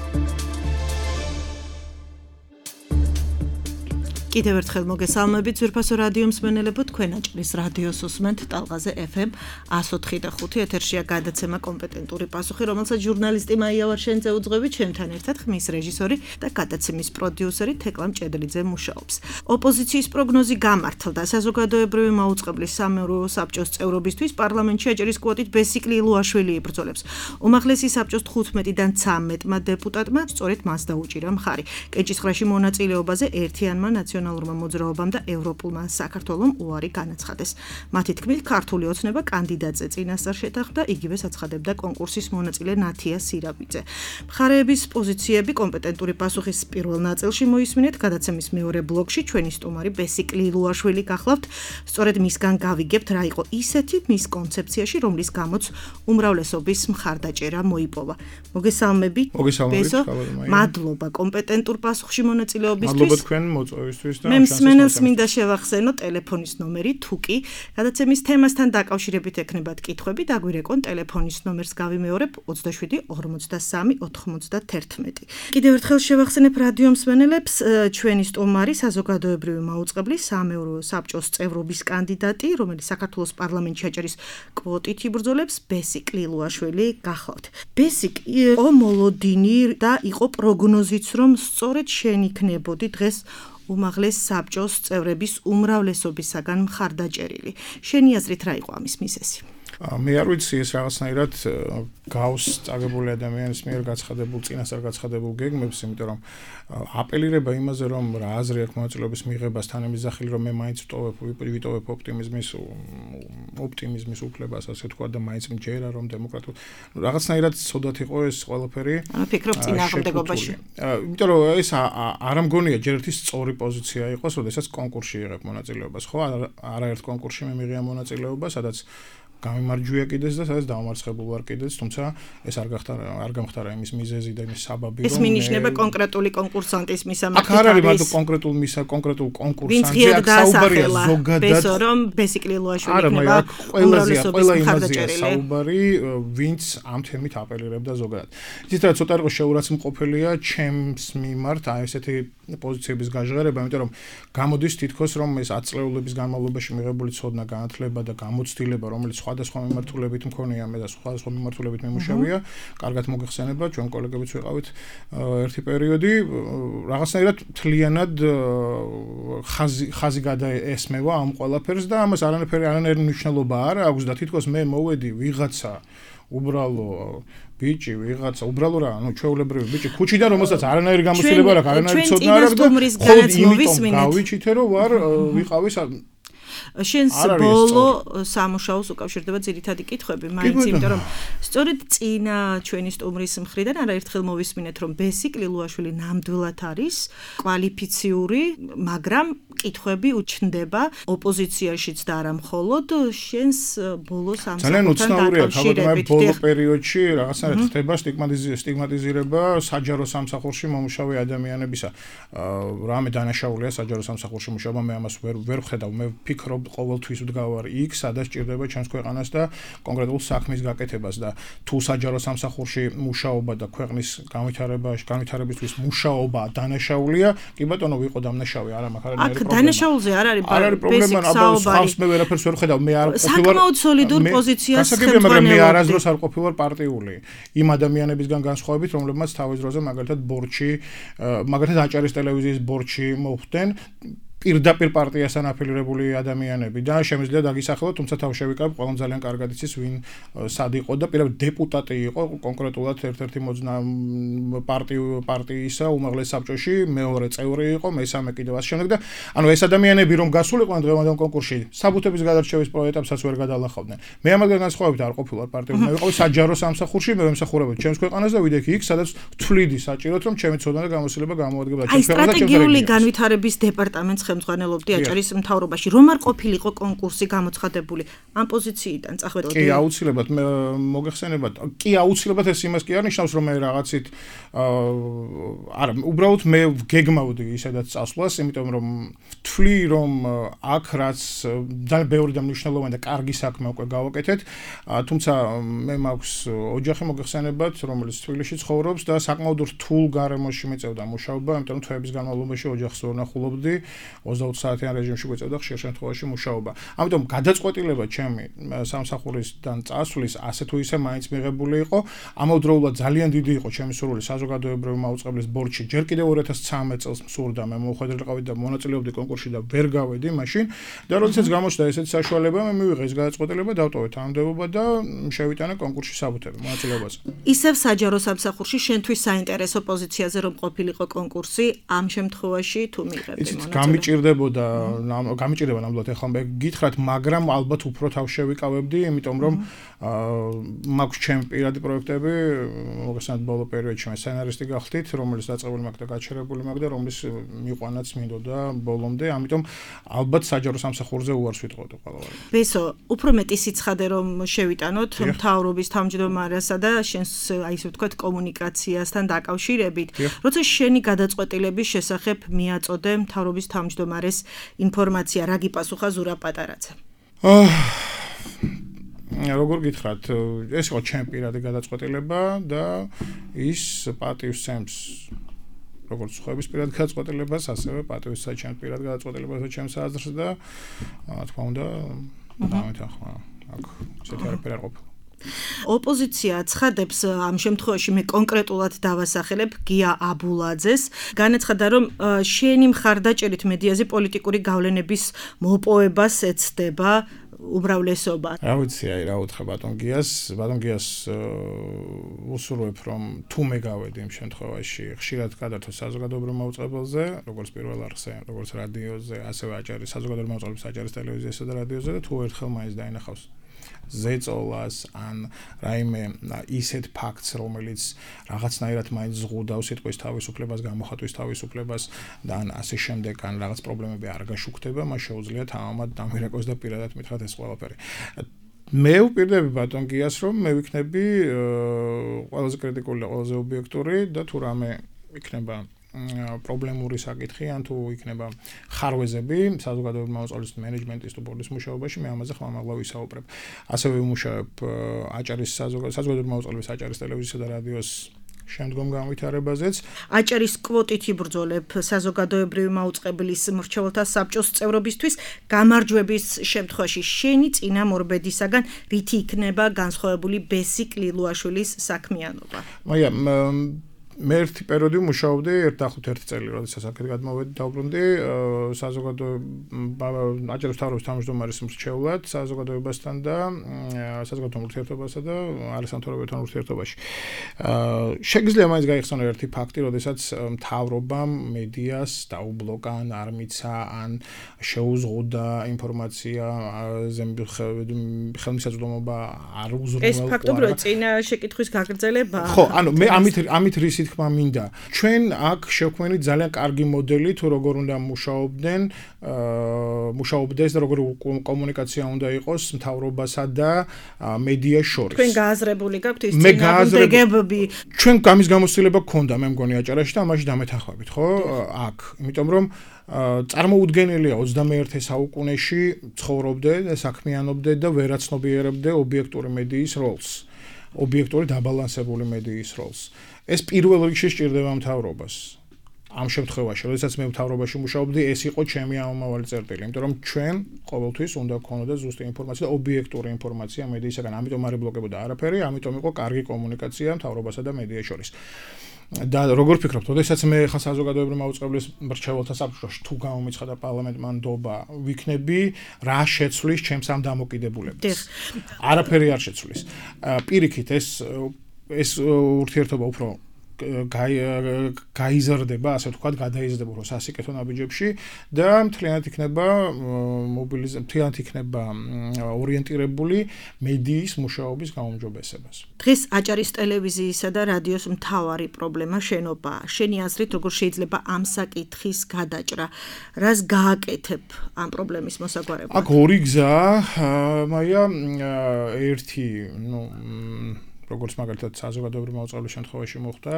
კიდევ ერთხელ მოგესალმებით ძვირფასო რადიო მსმენელებო თქვენ აჭარის რადიოს უსმენთ ტალღაზე FM 104.5 ეთერშია გადაცემა კომპეტენტური პასუხი რომელსაც ჟურნალისტი მაია ვარშენძე უძღვებით ჩემთან ერთად ხმის რეჟისორი და გადაცემის პროდიუსერი თეკლა მჭედლიძე მუშაობს ოპოზიციის პროგნოზი გამართლდა საზოგადოებრივი მაუწყებლის სამეურვეო საბჭოს წევრობისთვის პარლამენტში აჭარის კვოტით ბესიკ ლილუაშვილი იბრძოლებს უმაღლესი საბჭოს 15-დან 13-მა დეპუტატმა სწორედ მას დაუჭირა მხარი კენჭისყრაში მონაწილეობაზე ერთიანმა ნაციონალურმა მოძრაობამ და ევროპულმა საქართველომ უარი განაცხადეს. მათი თქმით, ქართული ოცნება კანდიდატზე წინასწარ შეთანხმდა, იგივე აცხადებდა კონკურსის მონაწილე ნათია სირაბიძე. მხარეების პოზიციები კომპეტენტური პასუხის პირველ ნაწილში მოისმინეთ, გადაცემის მეორე ბლოკში ჩვენი სტუმარი ბესიკ ლილუაშვილი გახლავთ. სწორედ მისგან გავიგებთ, რა იყო ისეთი მის კონცეფციაში, რომლის გამოც უმრავლესობის მხარდაჭერა მოიპოვა. მოგესალმებით. ბესო, მადლობა კომპეტენტურ პასუხში მონაწილეობისთვის. მადლობა თქვენ მოწვევისთვის. მე მსმენელს მინდა შევახსენო ტელეფონის ნომერი თუკი გადაცემის თემასთან დაკავშირებით ექნებათ კითხვები დაგვირეკონ ტელეფონის ნომერს გავიმეორებ 27 43 91 კიდევ ერთხელ შევახსენებ რადიო მსმენელებს ჩვენი სტუმარი საზოგადოებრივი მაუწყებლის სამეურვეო საბჭოს წევრობის კანდიდატი რომელიც საქართველოს პარლამენტში აჭარის კვოტით იბრძოლებს ბესიკ ლილუაშვილი გახლავთ ბესიკ იყო მოლოდინი და იყო პროგნოზიც რომ სწორედ შენ იქნებოდი დღეს უმაღლეს საბჭოს წევრების უმრავლესობისაგან მხარდაჭერილი. შენი აზრით რა იყო ამის მიზეზი? მე არ ვიცი ეს რაღაცნაირად გავს წაგებული ადამიანის მიერ გაცხადებულ წინასწარ გაცხადებულ გეგმებს, იმიტომ რომ აპელირება იმაზე რომ რა აზრი აქვს მონაწილეობის მიღებას თანამისახილი რომ მე მაინც ვიტოვებ ოპტიმიზმის უფლებას ასე თქვა და მაინც მჯერა რომ დემოკრატიულ რაღაცნაირად ცუდად იყო ეს ყველაფერი. ფიქრობ წინააღმდეგობაში. იმიტომ რომ ეს არ მგონია ჯერ ერთი სწორი პოზიცია იყოს, როდესაც კონკურსში იღებ მონაწილეობას, ხო? არაერთ კონკურსში მე მიღია მონაწილეობა, სადაც გამიმარჯვია კიდეც და სადაც დაუმარცხებულ ვარ კიდეც, თუმცა ეს არ გამხდარა იმის მიზეზი და იმის საბაბი, რომ ეს მინიშნება კონკრეტული კონკურსანტის მისამართი. აქ არ არის მარტო კონკრეტულ კონკურსანტზე, აქ საუბარია ზოგადად. ბესო რომ ბესიკლილოაშვილი იქნება უმრავლესობის მხარდაჭერილი. საუბარი, ვინც ამ თემით აპელირებდა ზოგადად. იცით რა, ცოტა იყო შეურაცმყოფილია ჩემს მიმართ აი ესეთი პოზიციების გაჟღერება, იმიტომ რომ გამოდის თითქოს რომ ეს 10 წლეულების განმავლობაში მიღებული ცოდნა, განათლება და გამოცდილება, რომელიც სხვადასხვა მიმართულებით მქონია მე და სხვადასხვა მიმართულებით მიმუშავია, კარგად მოგეხსენება, ჩვენ კოლეგებიც ვიყავით ერთი პერიოდი, რაღაცნაირად მთლიანად ხაზი გადაესმევა ამ ყველაფერს და ამას არანაირი მნიშვნელობა არ აქვს და თითქოს მე მოვედი ვიღაცა უბრალო ბიჭი, ვიღაცა უბრალო რა, ჩვეულებრივი ბიჭი, ქუჩიდან რომელსაც არანაირი გამოცდილება არ აქვს, არანაირი ცოდნა არ აქვს და ხოლმე გავიჩითე რომ ვარ ვიყავის შენს ბოლო სამუშაოს უკავშირდება ძირითადი კითხვები, მაინც იმიტომ რომ სწორედ წინა ჩვენი სტუმრის მხრიდან არაერთხელ მოვისმინეთ რომ ბესიკლილოაშვილი ნამდვილად არის კვალიფიციური, მაგრამ კითხვები უჩნდება ოპოზიციაშიც და არა მხოლოდ შენს ბოლო სამსახურთან დაკავშირებით. ბოლო პერიოდში რაღაცნაირად ხდება სტიგმატიზირება საჯარო სამსახურში მომუშავე ადამიანებისა. რამე დანაშაულია საჯარო სამსახურში მუშაობა, მე ამას ვერ ვხედავ, მე ვფიქრობ ყოველთვის ვდგავარ იქ, სადაც ჭირდება ჩვენს ქვეყანას და კონკრეტულ საქმის გაკეთებას და თუ საჯარო სამსახურში მუშაობა და ქვეყნის განვითარებისთვის მუშაობა დანაშაულია, კი ბატონო ვიყო დამნაშავე, არა მაქვს არანაირი პრობლემა. დანაშაულზე არ არის პრობლემა, აბა მე ვერაფერს ვერ ხედავ, მე არ ყოფილვარ საკმაოდ სოლიდურ პოზიციას ხელმძღვანელობდი. მაგრამ მე არასდროს არ ყოფილვარ პარტიული. იმ ადამიანებისგან განსხვავებით, რომლებმაც თავის დროზე მაგალითად ბორჩი, მაგალითად აჭარის ტელევიზიის ბორჩი მოხვდნენ პირდაპირ პარტიასთან აფილირებული ადამიანები და შემიძლია დაგისახელოთ, თუმცა თავ შევიკავებ, ყველამ ძალიან კარგად იცის ვინ სად იყო და პირდაპირ დეპუტატი იყო კონკრეტულად ერთ-ერთი პარტიისა უმაღლეს საბჭოში, მეორე წევრი იყო, მესამე კიდევ ასე შემდეგ და ანუ ეს ადამიანები რომ გასულიყვნენ დღევანდელ კონკურსში, საბუთების გადარჩევის პროექტებსაც ვერ გადალახავდნენ. მე ამაგან განსხვავებით არ ყოფილვარ პარტიული, მე ვიყავი საჯარო სამსახურში, მე ვემსახურებოდი ჩემს ქვეყანას და ვიდექი იქ, სადაც თვლიდი საჭიროდ რომ ჩემი ცოდნა და გამოცდილება გამოადგება ჩემს ქვეყანას და სტრატეგიული განვითარების დეპარტამენტს ხელმძღვანელობდი აჭარის მთავრობაში. რომ არ ყოფილიყო კონკურსი გამოცხადებული ამ პოზიციიდან წახვედოდი? კი, აუცილებლად მოგეხსენებათ. კი, აუცილებლად ეს იმას კი არ ნიშნავს, რომ მე რაღაცით არა, უბრალოდ მე გეგმავდი ისედაც წასვლას, იმიტომ რომ ვთვლი, რომ აქ რაც ძალიან ბევრი და მნიშვნელოვანი და კარგი საქმე უკვე გავაკეთეთ, თუმცა მე მაქვს ოჯახი მოგეხსენებათ, რომელიც თბილისში ცხოვრობს და საკმაოდ რთულ გარემოში მეწევდა მუშაობა, იმიტომ რომ თვეების განმავლობაში ოჯახს ვერნახულობდი. 20 საათიან რეჟიმში გვეწევდა ხშირ შემთხვევაში მუშაობა. ამიტომ გადაწყვეტილება ჩემი სამსახურისგან წასვლის ასე თუ ისე მაინც მიღებული იყო. ამავდროულად ძალიან დიდი იყო ჩემი სურვილი საზოგადოებრივი მაუწყებლის ბორჩი. ჯერ კიდევ 2013 წელს მსურდა მე მოხვედრილიყავი და მონაწილეობდი კონკურსში და ვერ გავედი მაშინ. და როდესაც გამოჩნდა ესეთი საშუალება, მე მივიღე ეს გადაწყვეტილება, დავტოვე თანამდებობა და შევიტანე კონკურსში საბუთები მონაწილეობაზე. ისევ საჯარო სამსახურში შენთვის საინტერესო პოზიციაზე რომ ყოფილიყო კონკურსი, ამ შემთხვევაში თუ მიიღებდი გამიჭირდება ნამდვილად ახლა მე გითხრათ, მაგრამ ალბათ უფრო თავ შევიკავებდი, იმიტომ რომ მაქვს ჩემი პირადი პროექტები, მოგესალმებით ბოლო პერიოდში მე სცენარისტი გახდით, რომელიც დაწყებული მაქვს და გაჩერებული მაქვს და რომლის მიყვანაც მინდოდა ბოლომდე, ამიტომ ალბათ საჯარო სამსახურზე უარს ვიტყოდი ყველავარი. ბესო, უფრო მეტი სიცხადე რომ შევიტანოთ მთავრობის თავმჯდომარესა და შენს აი ესე ვთქვათ კომუნიკაციასთან დაკავშირებით, როცა შენი გადაწყვეტილების შესახებ მიაწოდე მთავრობის თავმჯდომარეს ინფორმაცია, რა გიპასუხა ზურაბ პატარაძე? როგორ გითხრათ, ეს იყო ჩემი პირადი გადაწყვეტილება და ის პატივსცემს როგორც ხოების პირად გადაწყვეტილებას, ასევე პატივსცემს ჩემს პირად გადაწყვეტილებას და ჩემს აზრს და თქმა უნდა, დამეთანხმა აქ ესეთი არაფერი არ ყოფილა. ოპოზიცია ცხადებს ამ შემთხვევაში მე კონკრეტულად დავასახელებ გია აბულაძეს, განაცხადა რომ შენი მხარდაჭერით მედიაზე პოლიტიკური გავლენების მოპოვებას ეცდება უბრალესობა. რა ვიცი, აი რა უთხრა ბატონ გიას უსურვებ რომ თუ მე გავედი იმ შემთხვევაში ხშირად გადართო საზოგადოებრივ მაუწყებელზე, როგორც პირველ არხზე, როგორც რადიოზე, ასევე აჭარის საზოგადოებრივ მაუწყებელზე, აჭარის ტელევიზიასა და რადიოზე და თუ ერთხელ მაინც დაინახავს ზეწოლას ან რაიმე ისეთ ფაქტს, რომელიც რაღაცნაირად მაინც ზღუდავს სიტყვის თავისუფლებას, გამოხატვის თავისუფლებას და ან ასე შემდეგ, ან რაღაც პრობლემები არ გაშუქდება, მას შეუძლია თამამად დამირეკოს და პირადად მითხრათ ეს ყველაფერი. მე ვპირდები ბატონ გიას, რომ მე ვიქნები ყველაზე კრიტიკული, ყველაზე ობიექტური და თუ რამე იქნება პრობლემური საკითხი ან თუ იქნება ხარვეზები საზოგადოებრივი მოწყობილობის მენეჯმენტის თუ ბორდის მუშაობაში, მე ამაზე ხმამაღლა ვისაუბრებ. ასევე ვიმუშავებ აჭარის საზოგადოებრივი მოწყობილობის აჭარის ტელევიზიისა და რადიოს შემდგომ განვითარებაზეც. აჭარის კვოტით იბრძოლებ საზოგადოებრივი მაუწყებლის მრჩეველთა საბჭოს წევრობისთვის, გამარჯვების შემთხვევაში შენი წინამორბედისაგან რითი იქნება განსხვავებული ბესიკ ლილუაშვილის საქმიანობა? მაია მე ერთი პერიოდი მუშაობდი 1 წელი, როდესაც აქეთ გადმოვედი დაუბრუნდი აჭარის მთავრობის თავმჯდომარის მრჩევლად საზოგადოებასთან და საზოგადოებრივ ურთიერთობასა და არასამთავრობოებთან ურთიერთობაში. შეგიძლია მაინც გაიხსენო ერთი ფაქტი, როდესაც მთავრობამ მედიას დაუბლოკა ან არ მიცა ან შეუზღუდა ინფორმაცია ხელმისაწვდომობა არ უზრუნველყო. ეს ფაქტობრივად წინა შეკითხვის გაგრძელება. ხო, ანუ მე ამით რისი თქმა მინდა. ჩვენ აქ შევქმნით ძალიან კარგი მოდელი თუ როგორ უნდა მუშაობდეს და როგორი კომუნიკაცია უნდა იყოს მთავრობასა და მედიას შორის. თქვენ გააზრებული გაქვთ ის წინააღმდეგობები? ჩვენ გამის გამოცდილება გქონდა, მე მგონი აჭარაში და ამაში დამეთანხმებით, ხო? აქ, იმიტომ რომ წარმოუდგენელია 21 საუკუნეში ცხოვრობდე და საქმიანობდე და ვერაცნობიერებდე ობიექტური მედიის როლს. ობიექტური დაბალანსებული მედიის როლს. ეს პირველ რიგში სჭირდება მთავრობას. ამ შემთხვევაში, როდესაც მე მთავრობაში მუშაობდი, ეს იყო ჩემი ამომავალი წერტილი, იმიტომ რომ ჩვენ ყოველთვის უნდა გქონოდა ზუსტი ინფორმაცია და ობიექტური ინფორმაცია მედიისაგან, ამიტომ არ იბლოკებოდა არაფერი, ამიტომ იყო კარგი კომუნიკაცია მთავრობასა და მედიას შორის. და როგორ ფიქრობთ, როდესაც მე ხა საზოგადოებრივი მაუწყებლის მრჩეველთა საბჭოში თუ გამომიცხადა პარლამენტმა ნდობა, ვიქნები რა შეცვლის ჩემს ამ დამოკიდებულებას. არაფერი არ შეცვლის. პირიქით ეს ურთიერთობა უფრო გაიზრდება, ასე ვთქვათ, გადაიზრდება უფრო სასიკეთო ნაბიჯებში და მთლიანად იქნება ორიენტირებული მედიის მუშაობის გაუმჯობესებას. დღეს აჭარის ტელევიზიისა და რადიოს მთავარი პრობლემა შენობაა. შენი აზრით, როგორ შეიძლება ამ საკითხის გადაჭრა? რას გააკეთებ ამ პრობლემის მოსაგვარებლად? აქ ორი გზაა, მაია, ერთი, როგორც მაგალითად საზოგადოებრივი მოწყობილის შემთხვევაში მოხდა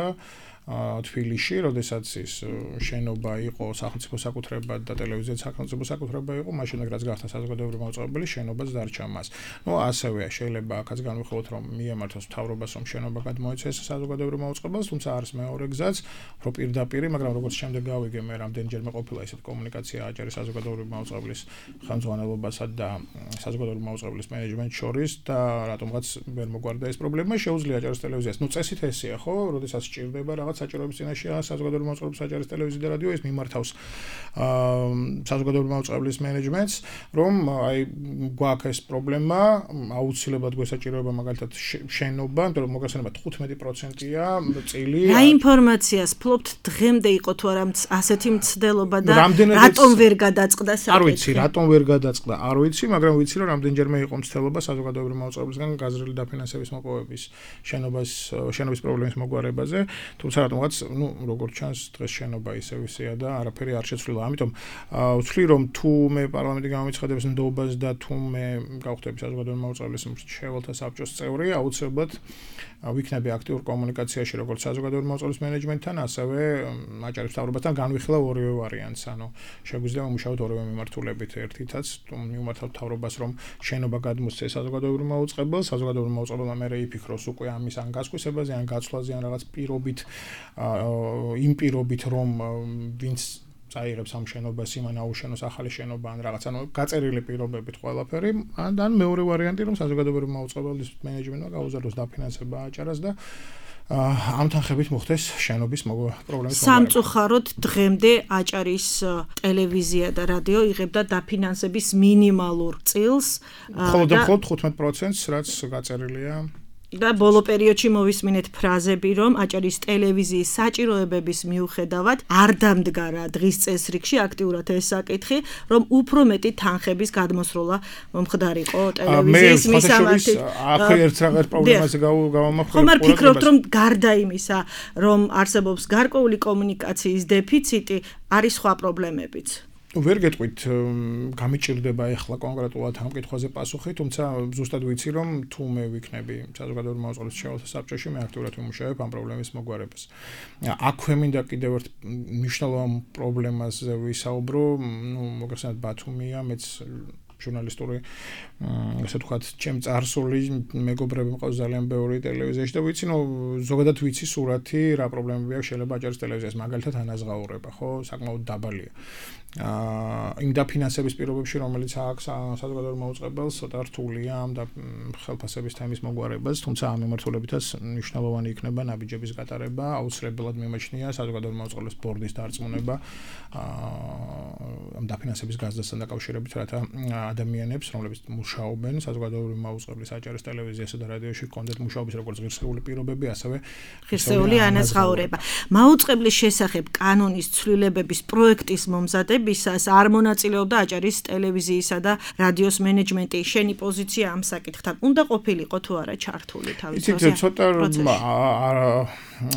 თბილისში, როდესაც ის შენობა იყო სახელმწიფო საკუთრებად და ტელევიზია სახელმწიფო საკუთრება იყო, მაშინ რაც გახდა საზოგადოებრივი მოწყობილი, შენობაც დარჩა მას. ასევე შეიძლება აქაც განვიხილოთ, რომ მიემართოს მთავრობას, რომ შენობა გადმოეცეს საზოგადოებრივ მოწყობილს, თუმცა არის მეორე გზაც, რომ პირდაპირ, მაგრამ როგორც შემდეგ გავიგე, მე რამდენჯერმე ყოფილა ესეთ კომუნიკაცია აჭარის საზოგადოებრივ მოწყობილის ხელმძღვანელობასა და საზოგადოებრივ მოწყობილის მენეჯმენტს შორის და რატომღაც ვერ მოგვარდა ეს პრობლემა, შეუძლია აჭარის ტელევიზიას. წესით ესეა, ხო, როდესაც სჭირდება რაღაც საჭიროების წინაშე საზოგადოებრივი მოწყობილების აჭარის ტელევიზია და რადიო ეს მიმართავს საზოგადოებრივი მოწყობილის მენეჯმენტს, რომ აი გვაქვს ეს პრობლემა, აუცილებლად გვესაჭიროება მაგალითად შენობა, იმიტომ რომ მოგესალმება 15%-ია წილი. რა ინფორმაციას ფლობთ დღემდე იყო თუ არა ასეთი მცდელობა და რატომ ვერ გადაწყდა საკითხი? არ ვიცი, რატომ ვერ გადაწყდა, არ ვიცი, მაგრამ ვიცი რომ რამდენჯერმე იყო მცდელობა საზოგადოებრივი მოწყობილისგან გაზრდილი დაფინანსების მოპოვების შენობის პრობლემის მოგვარებაზე, თუმცა რატომღაც, როგორც ჩანს, დღეს შენობა ისევ-ისეა და არაფერი არ შეცვლილა. ამიტომ ვთვლი, რომ თუ მე პარლამენტი გამომიცხადებს ნდობას და თუ მე გავხდები საზოგადოებრივი მოწყობილის მრჩეველთა საბჭოს წევრი, აუცილებლად ვიქნები აქტიურ კომუნიკაციაში როგორც საზოგადოებრივი მოწყობილის მენეჯმენტთან, ასევე აჭარის მთავრობასთან განვიხილავ ორივე ვარიანტს. ანუ შეგვიძლია ვიმუშაოთ ორივე მიმართულებით. ერთითაც მივმართავთ მთავრობას, რომ შენობა გადმოსცეს საზოგადოებრივ მოწყობილს, საზოგადოებრივ მოწყობილმა მე იფიქროს უკვე ამის ან გასკვისებაზე, ან გაცვლაზე, ან რაღაც პირობით, იმ პირობით, რომ ვინც წაიღებს ამ შენობას, იმან აუშენოს ახალი შენობა ან რაღაც, ანუ გაწერილი პირობებით ყველაფერი, ან მეორე ვარიანტი, რომ საზოგადოებრივი მოწყობილის მენეჯმენტმა გაუზარდოს დაფინანსება აჭარას და ამ თანხებით მოხდეს შენობის პრობლემის მოგვარება. სამწუხაროდ დღემდე აჭარის ტელევიზია და რადიო იღებდა დაფინანსების მინიმალურ წილს. მხოლოდ 15%-ს, რაც გაწერილია. და ბოლო პერიოდში მოვისმინეთ ფრაზები, რომ აჭარის ტელევიზიის საჭიროებების მიუხედავად არ დამდგა რა დღის წესრიგში აქტიურად ეს საკითხი, რომ უფრო მეტი თანხების გადმოსროლა მომხდარიყო ტელევიზიის მისამართით. აქ ერთ რაღაც პრობლემაზე გავამახვილებ. ხომ არ ფიქრობთ, რომ გარდა იმისა, რომ არსებობს გარკვეული კომუნიკაციის დეფიციტი, არის სხვა პრობლემებიც? ვერ გეტყვით გამიჭირდება ახლა კონკრეტულად ამ კითხვაზე პასუხი, თუმცა ზუსტად ვიცი, რომ თუ მე ვიქნები საზოგადოებრივი მაუწყებლის მშენებლთა საბჭოში, მე აქტიურად ვიმუშავებ ამ პრობლემის მოგვარებას. აქვე მინდა კიდევ ერთ მნიშვნელოვან პრობლემაზე ვისაუბრო, მოგეხსენებათ ბათუმია, მეც ჟურნალისტური ასე ვთქვათ, ჩემ წარსული მეგობრები მყავს ძალიან ბევრი ტელევიზიაში და ვიცი, ზოგადად ვიცი სურათი რა პრობლემები აქვს შეიძლება აჭარის ტელევიზიას, მაგალითად ანაზღაურება, ხო, საკმაოდ დაბალია. იმ დაფინანსების პირობებში, რომელიც აქვს საზოგადოებრივ მაუწყებელს, ცოტა რთულია ამ ხელფასების თემის მოგვარებას, თუმცა ამ მიმართულებითაც მნიშვნელოვანი იქნება ნაბიჯების გატარება, აუცილებლად მიმაჩნია საზოგადოებრივ მაუწყებლის ბორდის დარწმუნება ამ დაფინანსების გაზრდასთან დაკავშირებით, რათა ადამიანებს, რომლებიც მუშაობენ საზოგადოებრივ მაუწყებლის აჭარის ტელევიზიასა და რადიოში, ჰქონდეთ მუშაობის როგორც ღირსეული პირობები, ასევე ღირსეული ანაზღაურება. მაუწყებლის შესახებ კანონის ცვლილებების პროექტის მომზადებისას არ მონაწილეობდა აჭარის ტელევიზიისა და რადიოს მენეჯმენტი. შენი პოზიცია ამ საკითხთან უნდა ყოფილიყო თუ არა ჩართული თავის პროცესში? იცით, ცოტა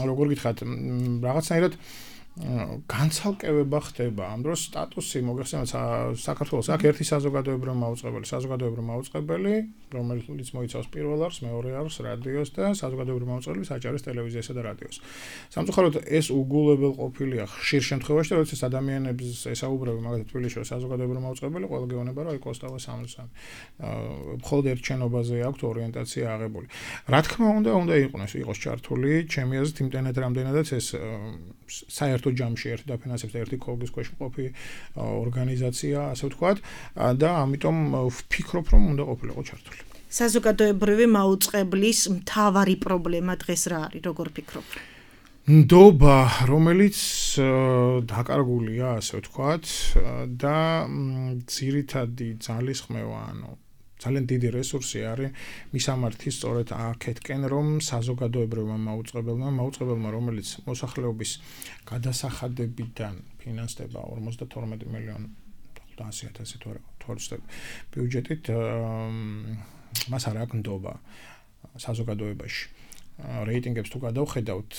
როგორ გითხრათ, რაღაცნაირად განცალკევება ხდება ამ დროს სტატუსი მოგეხსენებათ საქართველოს აქ ერთი საზოგადოებრივი მაუწყებელი, რომელიც მოიცავს პირველ არხს, მეორე არხს, რადიოს და საზოგადოებრივი მაუწყებლის აჭარის ტელევიზიასა და რადიოს. სამწუხაროდ ეს უგულებელ ყოფილია ხშირ შემთხვევაში და როდესაც ადამიანებს ესაუბრები მაგალითად თბილისში საზოგადოებრივი მაუწყებელი, ყველა გეუბნება რომ აი კოსტავა 63. მხოლოდ ერთ შენობაზე აქვს ორიენტაცია აღებული. რა თქმა უნდა იყოს ჩართული ჩემი აზრით იმდენად რამდენადაც ეს საერთო ჯამში ერთი დაფინანსებს და ერთი ქოლგის ქვეშ მყოფი ორგანიზაცია, ასე ვთქვათ, და ამიტომ ვფიქრობ, რომ უნდა ყოფილიყო ჩართული. საზოგადოებრივი მაუწყებლის მთავარი პრობლემა დღეს რა არის, როგორ ფიქრობ? ნდობა, რომელიც დაკარგულია, ასე ვთქვათ, და ძირითადი ძალისხმევა, ძალიან დიდი რესურსი არის მისამართი სწორედ აქეთკენ, რომ საზოგადოებრივმა მაუწყებელმა, რომელიც მოსახლეობის გადასახადებიდან ფინანსდება 52 მილიონი 100,000 თორსტებ ბიუჯეტით, მას არ აქვს ნდობა საზოგადოებაში. რეიტინგებს თუ გადავხედავთ,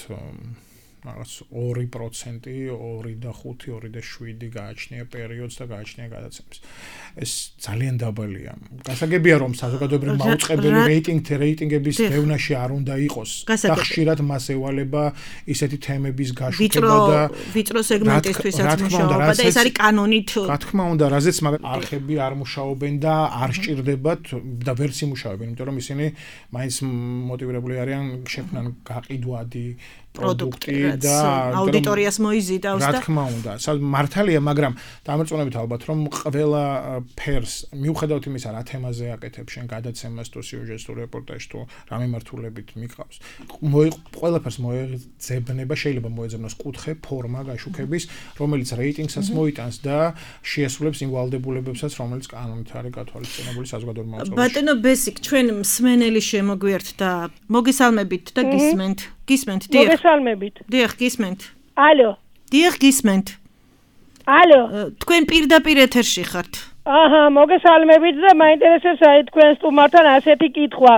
რაღაც 2%, 2.5, 2.7 გააჩნია პერიოდს და გააჩნია გადაცემებს. ეს ძალიან დაბალია. გასაგებია რომ საზოგადოებრივი მაუწყებელი რეიტინგების დევნაში არ უნდა იყოს. და ხშირად მას ევალება ისეთი თემების გაშუქება და ვიწრო სეგმენტისთვისაც მუშაობა და ეს არის კანონით. რა თქმა უნდა, რაზეც არხები არ მუშაობენ და არ სჭირდებათ და ვერც იმუშავებენ, იმიტომ რომ ისინი მაინც მოტივირებული არიან შექმნან გაყიდვადი პროდუქტი და აუდიტორიას მოიზიდავს და რა თქმა უნდა, მართალია, მაგრამ დამერწმუნებით ალბათ რომ ყველა ფერს მიუხედავად იმისა რა თემაზე აკეთებ შენ გადაცემას თუ სიუჟეტს თუ რეპორტაჟს თუ რა მიმართულებით მიყავს, ყველაფერს მოეძებნება, შეიძლება მოეძებნოს კუთხე, ფორმა გაშუქების, რომელიც რეიტინგსაც მოიტანს და შეასრულებს იმ ვალდებულებებსაც, რომელიც კანონით არის გათვალისწინებული საზოგადოებრივ მაუწყებელში. ბატონო ბესიკ, ჩვენ მსმენელი შემოგვიერთთ და მოგესალმებით და გისმენთ. გისმენთ, დიახ. მოგესალმებით. დიახ, გისმენთ. ალო. დიახ, გისმენთ. ალო. თქვენ პირდაპირ ეთერში ხართ. აჰა, მოგესალმებით და მაინტერესებს აი თქვენ სტუმართან ასეთი კითხვა.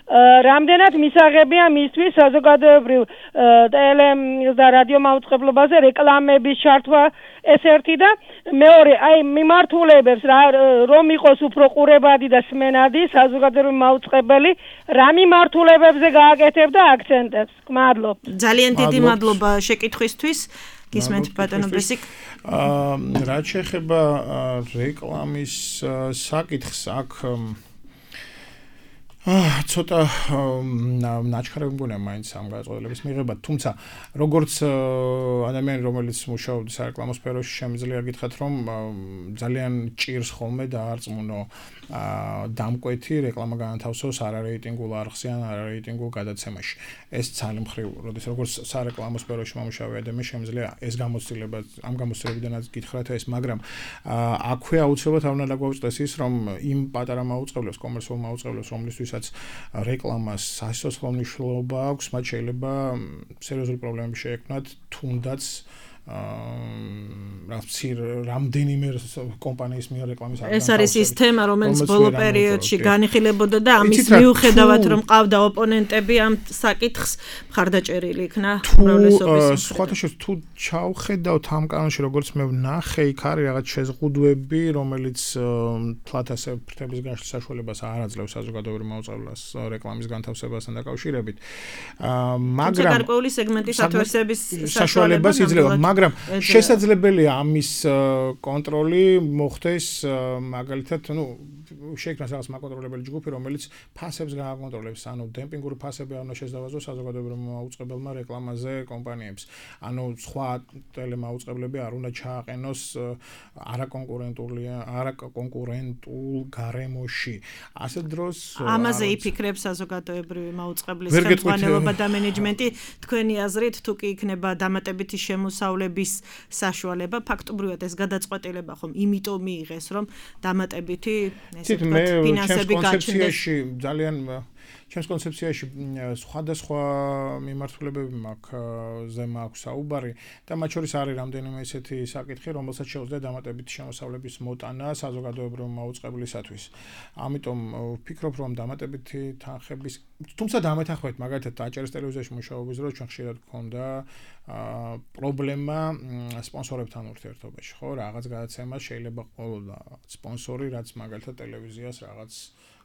რამდენად მისაღებია მისთვის საზოგადოებრივ ტელე და რადიო მაუწყებლობაზე რეკლამების ჩართვა ეს ერთი და მეორე, აი მიმართულებებს რომ იყოს უფრო ყურებადი და სმენადი საზოგადოებრივი მაუწყებელი, რა მიმართულებებზე გააკეთებდა აქცენტებს? მადლობ. ძალიან დიდი მადლობა შეკითხვისთვის. გისმენთ ბატონო ბესიკ. რაც შეეხება რეკლამის საკითხს, აქ ცოტა ნაჩქარები მგონია მაინც ამ გადაწყვეტილების მიღება, თუმცა როგორც ადამიანი, რომელიც მუშაობს სარეკლამო სფეროში, შემიძლია გითხრათ, რომ ძალიან ჭირს ხოლმე დაარწმუნო დამკვეთი რეკლამა განათავსოს არარეიტინგულ არხზე ან არარეიტინგულ გადაცემაში. ეს ძალიან მხრივ, როგორც სარეკლამო სფეროში მომუშავე ადამიანს შემიძლია ეს გამოცდილება, ამ გამოცდილებიდანაც გითხრათ ეს, მაგრამ აქვე აუცილებლად არ უნდა დაგვაუწყდეს ის, რომ იმ პატარა მაუწყებლებს, კომერციულ მაუწყებლებს, რომლისთვისაც რეკლამას სასიცოცხლო მნიშვნელობა აქვს, მათ შეიძლება სერიოზული პრობლემები შეექმნათ, თუნდაც რამდენიმე კომპანიის მიერ რეკლამის ეს არის ის თემა, რომელიც ბოლო პერიოდში განიხილებოდა და ამის მიუხედავად რომ ყავდა ოპონენტები ამ საკითხს მხარდაჭერილი იქნა უმრავლესობის. სხვათა შორის თუ ჩავხედავთ ამ კანონში როგორც მე ვნახე, იქ არის რაღაც შეზღუდვები, რომელიც თლათ ასე ფრთების გაშლის საშუალებას არ აძლევს საზოგადოებრივ მაუწყებლობას რეკლამის განთავსებასთან დაკავშირებით. მაგრამ გარკვეული სეგმენტის ათვისების საშუალებას იძლევა, მაგრამ შესაძლებელია ამის კონტროლი მოხდეს მაგალითად, შეიქმნას რაღაც მაკონტროლებელი ჯგუფი, რომელიც ფასებს გააკონტროლებს, დემპინგური ფასები არ უნდა შესდავაზოს საზოგადოებრივ მაუწყებელმა რეკლამაზე კომპანიებს. სხვა ტელემაუწყებლები არ უნდა ჩააყენოს არაკონკურენტულ გარემოში. ასეთ დროს ამაზე იფიქრებს საზოგადოებრივი მაუწყებლის ხელმძღვანელობა და მენეჯმენტი. თქვენი აზრით, თუ კი იქნება დამატებითი შემოსავლების საშუალება, ფაქტობრივად ეს გადაწყვეტილება ხომ იმიტომ მიიღეს, რომ დამატებითი ფინანსები გაჩნდეს. ჩემს კონცეფციაში სხვადასხვა მიმართულებები მაქვს საუბარი და მათ შორის არის რამდენიმე ესეთი საკითხი, რომელსაც შეუძლია დამატებითი შემოსავლების მოტანა საზოგადოებრივ მაუწყებლისათვის. ამიტომ ვფიქრობ, რომ დამატებითი თანხების, თუმცა დამეთანხმებით, მაგალითად, აჭარის ტელევიზიაში მუშაობის დროს ჩვენ ხშირად გქონდა პრობლემა სპონსორებთან ურთიერთობაში, ხო, რაღაც გადაცემას შეიძლება ყოლოდა სპონსორი, რაც მაგალითად ტელევიზიას რაღაც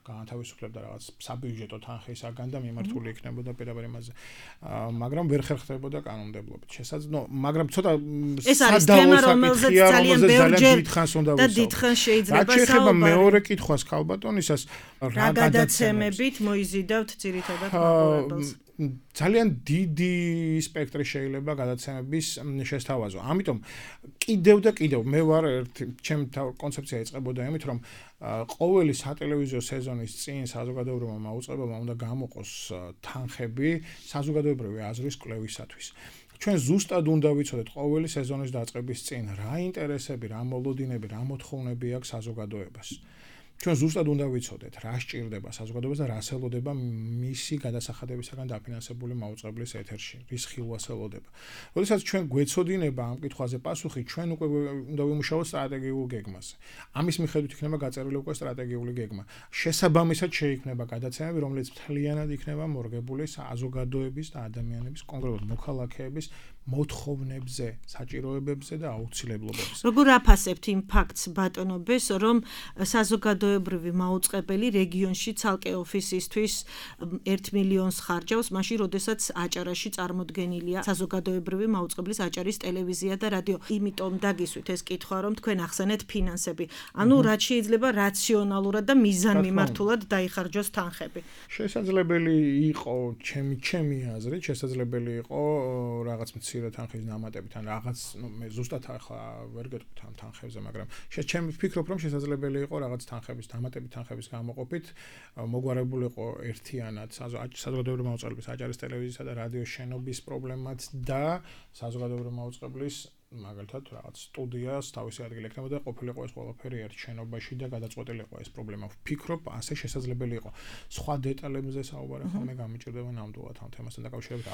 განთავისუფლებდა რაღაც საბიუჯეტო თანხისაგან და მიმართული იქნებოდა პირდაპირ იმაზე. მაგრამ ვერ ხერხდებოდა კანონმდებლობით. მაგრამ ცოტა ეს არის თემა, რომელზეც ძალიან ბევრჯერ და დიდხანს შეიძლება საუბარი. მეორე კითხვას ქალბატონისას რა გადაცემებით მოიზიდავთ ძირითადად მაყურებელს? ძალიან დიდი სპექტრი შეიძლება გადაცემების შესთავაზო. ამიტომ კიდევ და კიდევ მე ვარ ჩემი კონცეფცია იწყებოდა იმით, რომ ყოველი სატელევიზიო სეზონის წინ საზოგადოებრივმა მაუწყებელმა უნდა გამოყოს თანხები საზოგადოებრივი აზრის კვლევისათვის. ჩვენ ზუსტად უნდა ვიცოდეთ ყოველი სეზონის დაწყების წინ რა ინტერესები, რა მოლოდინები, რა მოთხოვნები აქვს საზოგადოებას. ჩვენ ზუსტად უნდა ვიცოდეთ, რა სჭირდება საზოგადოებას და რას ელოდება მისი გადასახადებისაგან დაფინანსებული მაუწყებლის ეთერში, რის ხილვას ელოდება. როდესაც ჩვენ გვეცოდინება ამ კითხვაზე პასუხი, ჩვენ უკვე უნდა ვიმუშაოთ სტრატეგიულ გეგმაზე. ამის მიხედვით იქნება გაწერილი უკვე სტრატეგიული გეგმა. შესაბამისად შეიქმნება გადაცემები, რომელიც მთლიანად იქნება მორგებული საზოგადოების და ადამიანების, კონკრეტულად მოქალაქეების მოთხოვნებზე, საჭიროებებზე და აუცილებლობებზე. როგორ აფასებთ იმ ფაქტს, ბატონო ბეს, რომ საზოგადოებრივი მაუწყებელი რეგიონში ცალკე ოფისისთვის 1 მილიონს ხარჯავს, მაშინ როდესაც აჭარაში წარმოდგენილია საზოგადოებრივი მაუწყებლის აჭარის ტელევიზია და რადიო. იმიტომ დაგისვით ეს კითხვა, რომ თქვენ ახსენეთ ფინანსები. ანუ რაც შეიძლება რაციონალურად და მიზანმიმართულად დაიხარჯოს თანხები. შესაძლებელი იყო ჩემი აზრით, შესაძლებელი იყო რაღაც მცირე თანხის დამატებით ან რაღაც, მე ზუსტად ახლა ვერ გეტყვით ამ თანხებზე, მაგრამ ჩემი ვფიქრობ, რომ შესაძლებელი იყო რაღაც თანხების დამატებით თანხების გამოყოფით მოგვარებულიყო ერთიანად საზოგადოებრივი მაუწყებლობის აჭარის ტელევიზიისა და რადიოს შენობის პრობლემაც და საზოგადოებრივი მაუწყებლის მაგალითად რაღაც სტუდიას თავისი ადგილი ექნებოდა, ყოფილიყო ეს ყველაფერი ერთ შენობაში და გადაწყვეტილიყო ეს პრობლემა. ვფიქრობ, ასე შესაძლებელი იყო. სხვა დეტალებზე საუბარი ხოლმე გამიჭირდება ნამდვილად ამ თემასთან დაკავშირებით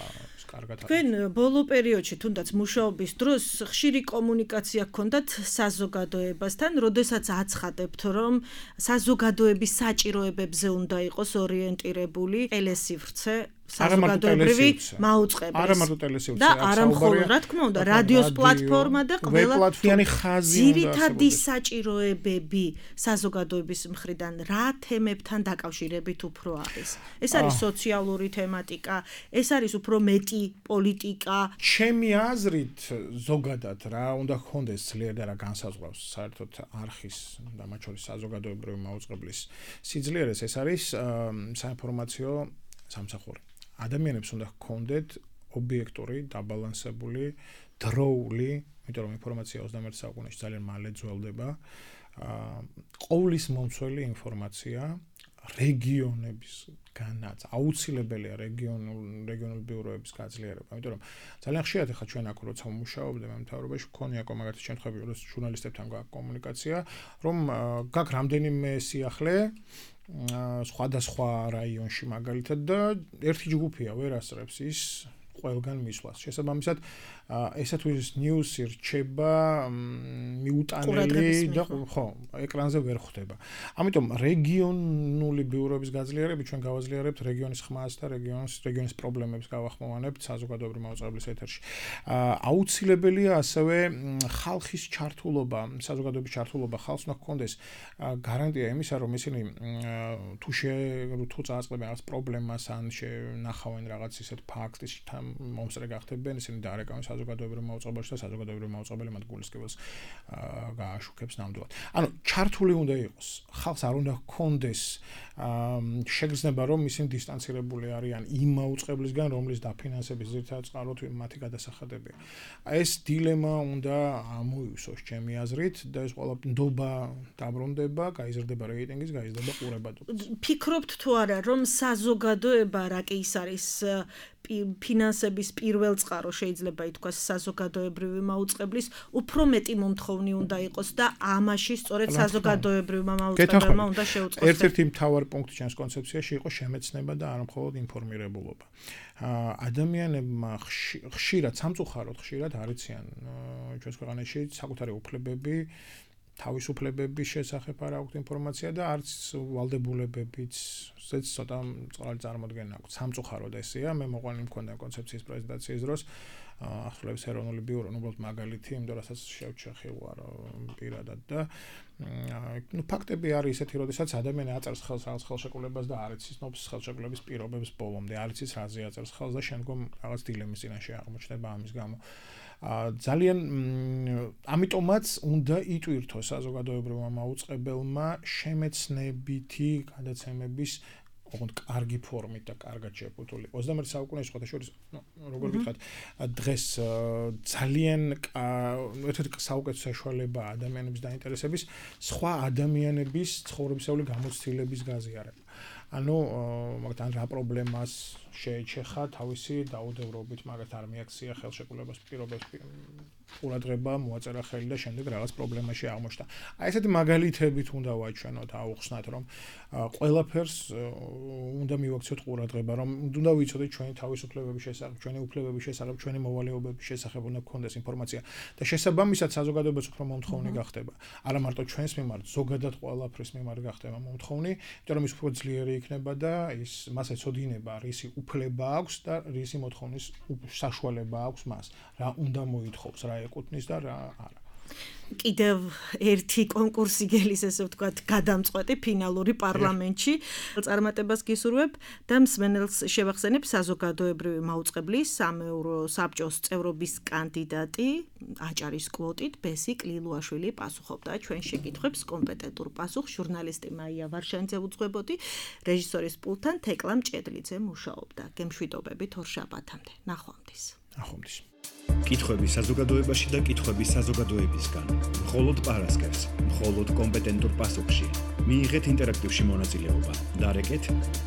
კარგად. თქვენ ბოლო პერიოდში თუნდაც მუშაობის დროს ხშირი კომუნიკაცია გქონდათ საზოგადოებასთან, როდესაც აცხადებთ, რომ საზოგადოების საჭიროებებზე უნდა იყოს ორიენტირებული ტელესივრცე საზოგადოებრივი მაუწყებლის. არა მარტო ტელესივრცე, და არა მხოლოდ, რა თქმა უნდა, რადიოს პლატფორმა და ყველა პლატფორმიანი ხაზი უნდა. ძირითადი საჭიროებები საზოგადოების მხრიდან რა თემებთან დაკავშირებით უფრო არის? ეს არის სოციალური თემატიკა, ეს არის უფრო მეტი პოლიტიკა. ჩემი აზრით, ზოგადად რა უნდა ჰქონდეს ძლიერ და რა განსაზღვრავს საერთოდ არხის და მათ შორის საზოგადოებრივი მაუწყებლის სიძლიერეს, ეს არის საინფორმაციო სამსახური. ადამიანებს უნდა ჰქონდეთ ობიექტური, დაბალანსებული, დროული, იმიტომ რომ ინფორმაცია 21 საუკუნეში ძალიან მალე ძველდება. ყოვლის მომცველი ინფორმაცია რეგიონებისგანაც აუცილებელია რეგიონული ბიუროების გაძლიერება. იმიტომ რომ ძალიან ხშირად ახლა ჩვენ აქ როცა ვმუშაობდე მე მთავრობაში მქონია მაგათი შემთხვევები, რომ ჟურნალისტებთან გაქვს კომუნიკაცია, რომ გაქვს რამდენიმე სიახლე სხვადასხვა რაიონში მაგალითად და ერთი ჯგუფია ვერ ასწრებს ის ყველგან მისვლას. შესაბამისად ესათვის ნიუსი რჩება მიუტანელი და ხო, ეკრანზე ვერ ხვდება. ამიტომ რეგიონული ბიუროების გაძლიერებით ჩვენ გავაძლიერებთ რეგიონის ხმას და რეგიონის პრობლემებს გავახმოვანებთ საზოგადოებრივი მაუწყებლის ეთერში. აუცილებელია ასევე ხალხის ჩართულობა, საზოგადოების ჩართულობა, ხალხს უნდა ჰქონდეს გარანტია იმისა, რომ ისინი თუ წააწყდებენ რაღაც პრობლემას ან ნახავენ რაღაც ისეთ ფაქტს, მომსწრე გახდებენ, ისინი დაარეკავენ საზოგადოებრივ მაუწყებელში და საზოგადოებრივ მაუწყებელი მათ გულისკეველს გააშუქებს ნამდვილად. ანუ ჩართული უნდა იყოს. ხალხს არ უნდა ჰქონდეს შეგრძნება, რომ ისინი დისტანცირებული არიან იმ მაუწყებლისგან, რომლის დაფინანსების ძირითადად წყაროთ მათი გადასახადებია. ეს დილემა უნდა ამოივსოს ჩემი აზრით და ეს ყველა ნდობა დაბრუნდება, გაიზრდება რეიტინგის, გაიზრდება ყურებადობა. ფიქრობთ თუ არა, რომ საზოგადოება რა კი ის არის ფინანსების პირველ წყარო შეიძლება ითქვას საზოგადოებრივი მაუწყებლის უფრო მეტი მომთხოვნი უნდა იყოს და ამაში სწორედ საზოგადოებრივმა მაუწყებელმა უნდა შეუწყოს. ერთ-ერთი მთავარი პუნქტი ჩვენს კონცეფციაში იყო შემეცნება და არა მხოლოდ ინფორმირებულობა. ადამიანებმა ხშირად სამწუხაროდ ხშირად არ იციან ჩვენს ქვეყანაში საკუთარი უფლებები თავისუფლებების შესახებ არ აქვს ინფორმაცია და არც ვალდებულებებიც ცოტა წყალი წარმოდგენა აქვს. სამწუხაროდ ესეა, მე მოყვანილი მქონდა კონცეფციის პრეზენტაციის დროს ახსოვს ეროვნული ბიურო, უბრალოდ მაგალითი, იმ დროსაც შევჩეხილვარ პირადად და ფაქტები არის ისეთი, როდესაც ადამიანი აწერს ხელს რაღაც ხელშეკრულებას და არ იცის ნობს ხელშეკრულების პირობებს ბოლომდე, არ იცის რაზე აწერს ხელს და შემდგომ რაღაც დილემის წინაშე აღმოჩნდება ამის გამო. ძალიან ამიტომაც უნდა იტვირთოს საზოგადოებრივმა მაუწყებელმა შემეცნებითი გადაცემების ოღონდ კარგი ფორმით და კარგად შეფუთული. 21 საუკუნეში ხოთაშორის როგორ ვიტყვათ, დღეს ძალიან ერთ-ერთი საუკეთესო საშუალება ადამიანების დაინტერესების სხვა ადამიანების ცხოვრებისეული გამოცდილების გაზიარება. ანუ მაგალითად რა პრობლემას შეეჩეხა თავისი დაუდევრობით, მაგათ არ მიაქცია ხელშეკრულებას პირობებს ყურადღება, მოაწერა ხელი და შემდეგ რაღაც პრობლემაში აღმოჩნდა. აი ესეთი მაგალითებით უნდა ვაჩვენოთ, აუხსნათ, რომ ყველაფერს უნდა მივაქციოთ ყურადღება, რომ უნდა ვიცოდეთ ჩვენი თავისუფლებების შესახებ, ჩვენი უფლებების შესახებ, ჩვენი მოვალეობების შესახებ უნდა გქონდეს ინფორმაცია და შესაბამისად საზოგადოებაც უფრო მომთხოვნი გახდება. არა მარტო ჩვენს მიმართ, ზოგადად ყველაფრის მიმართ გახდება მომთხოვნი, იმიტომ რომ ის უფრო ძლიერი იქნება და მას ეცოდინება, რისი უფლება აქვს და რისი მოთხოვნის საშუალება აქვს მას, რა უნდა მოითხოვს, რა ეკუთვნის და რა არა. კიდევ ერთი კონკურსი გელის, ესე ვთქვათ, გადამწყვეტი ფინალური პარლამენტში წარმატებას გისურვებ და მსმენელს შევახსენებ საზოგადოებრივი მაუწყებლის სამეურო საბჭოს წევრობის კანდიდატი აჭარის კვოტით ბესი კლილუაშვილი პასუხობდა ჩვენ შეკითხვებს კომპეტენტურ პასუხს. ჟურნალისტი მაია ვარშანიძე უძღვებოდი, რეჟისორის პულტთან თეკლა მჭედლიძე მუშაობდა. გემშვიდობებით ორშაბათამდე. ნახვამდის. კითხვები საზოგადოებაში და კითხვები საზოგადოებისგან. მხოლოდ პარასკევს, მხოლოდ კომპეტენტურ პასუხში. მიიღეთ ინტერაქტივში მონაწილეობა. დარეკეთ,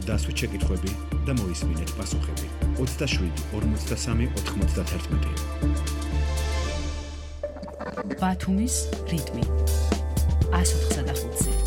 დასვით შეკითხვები და მოისმინეთ პასუხები. 27 43 91. ბათუმის რიტმი 104.5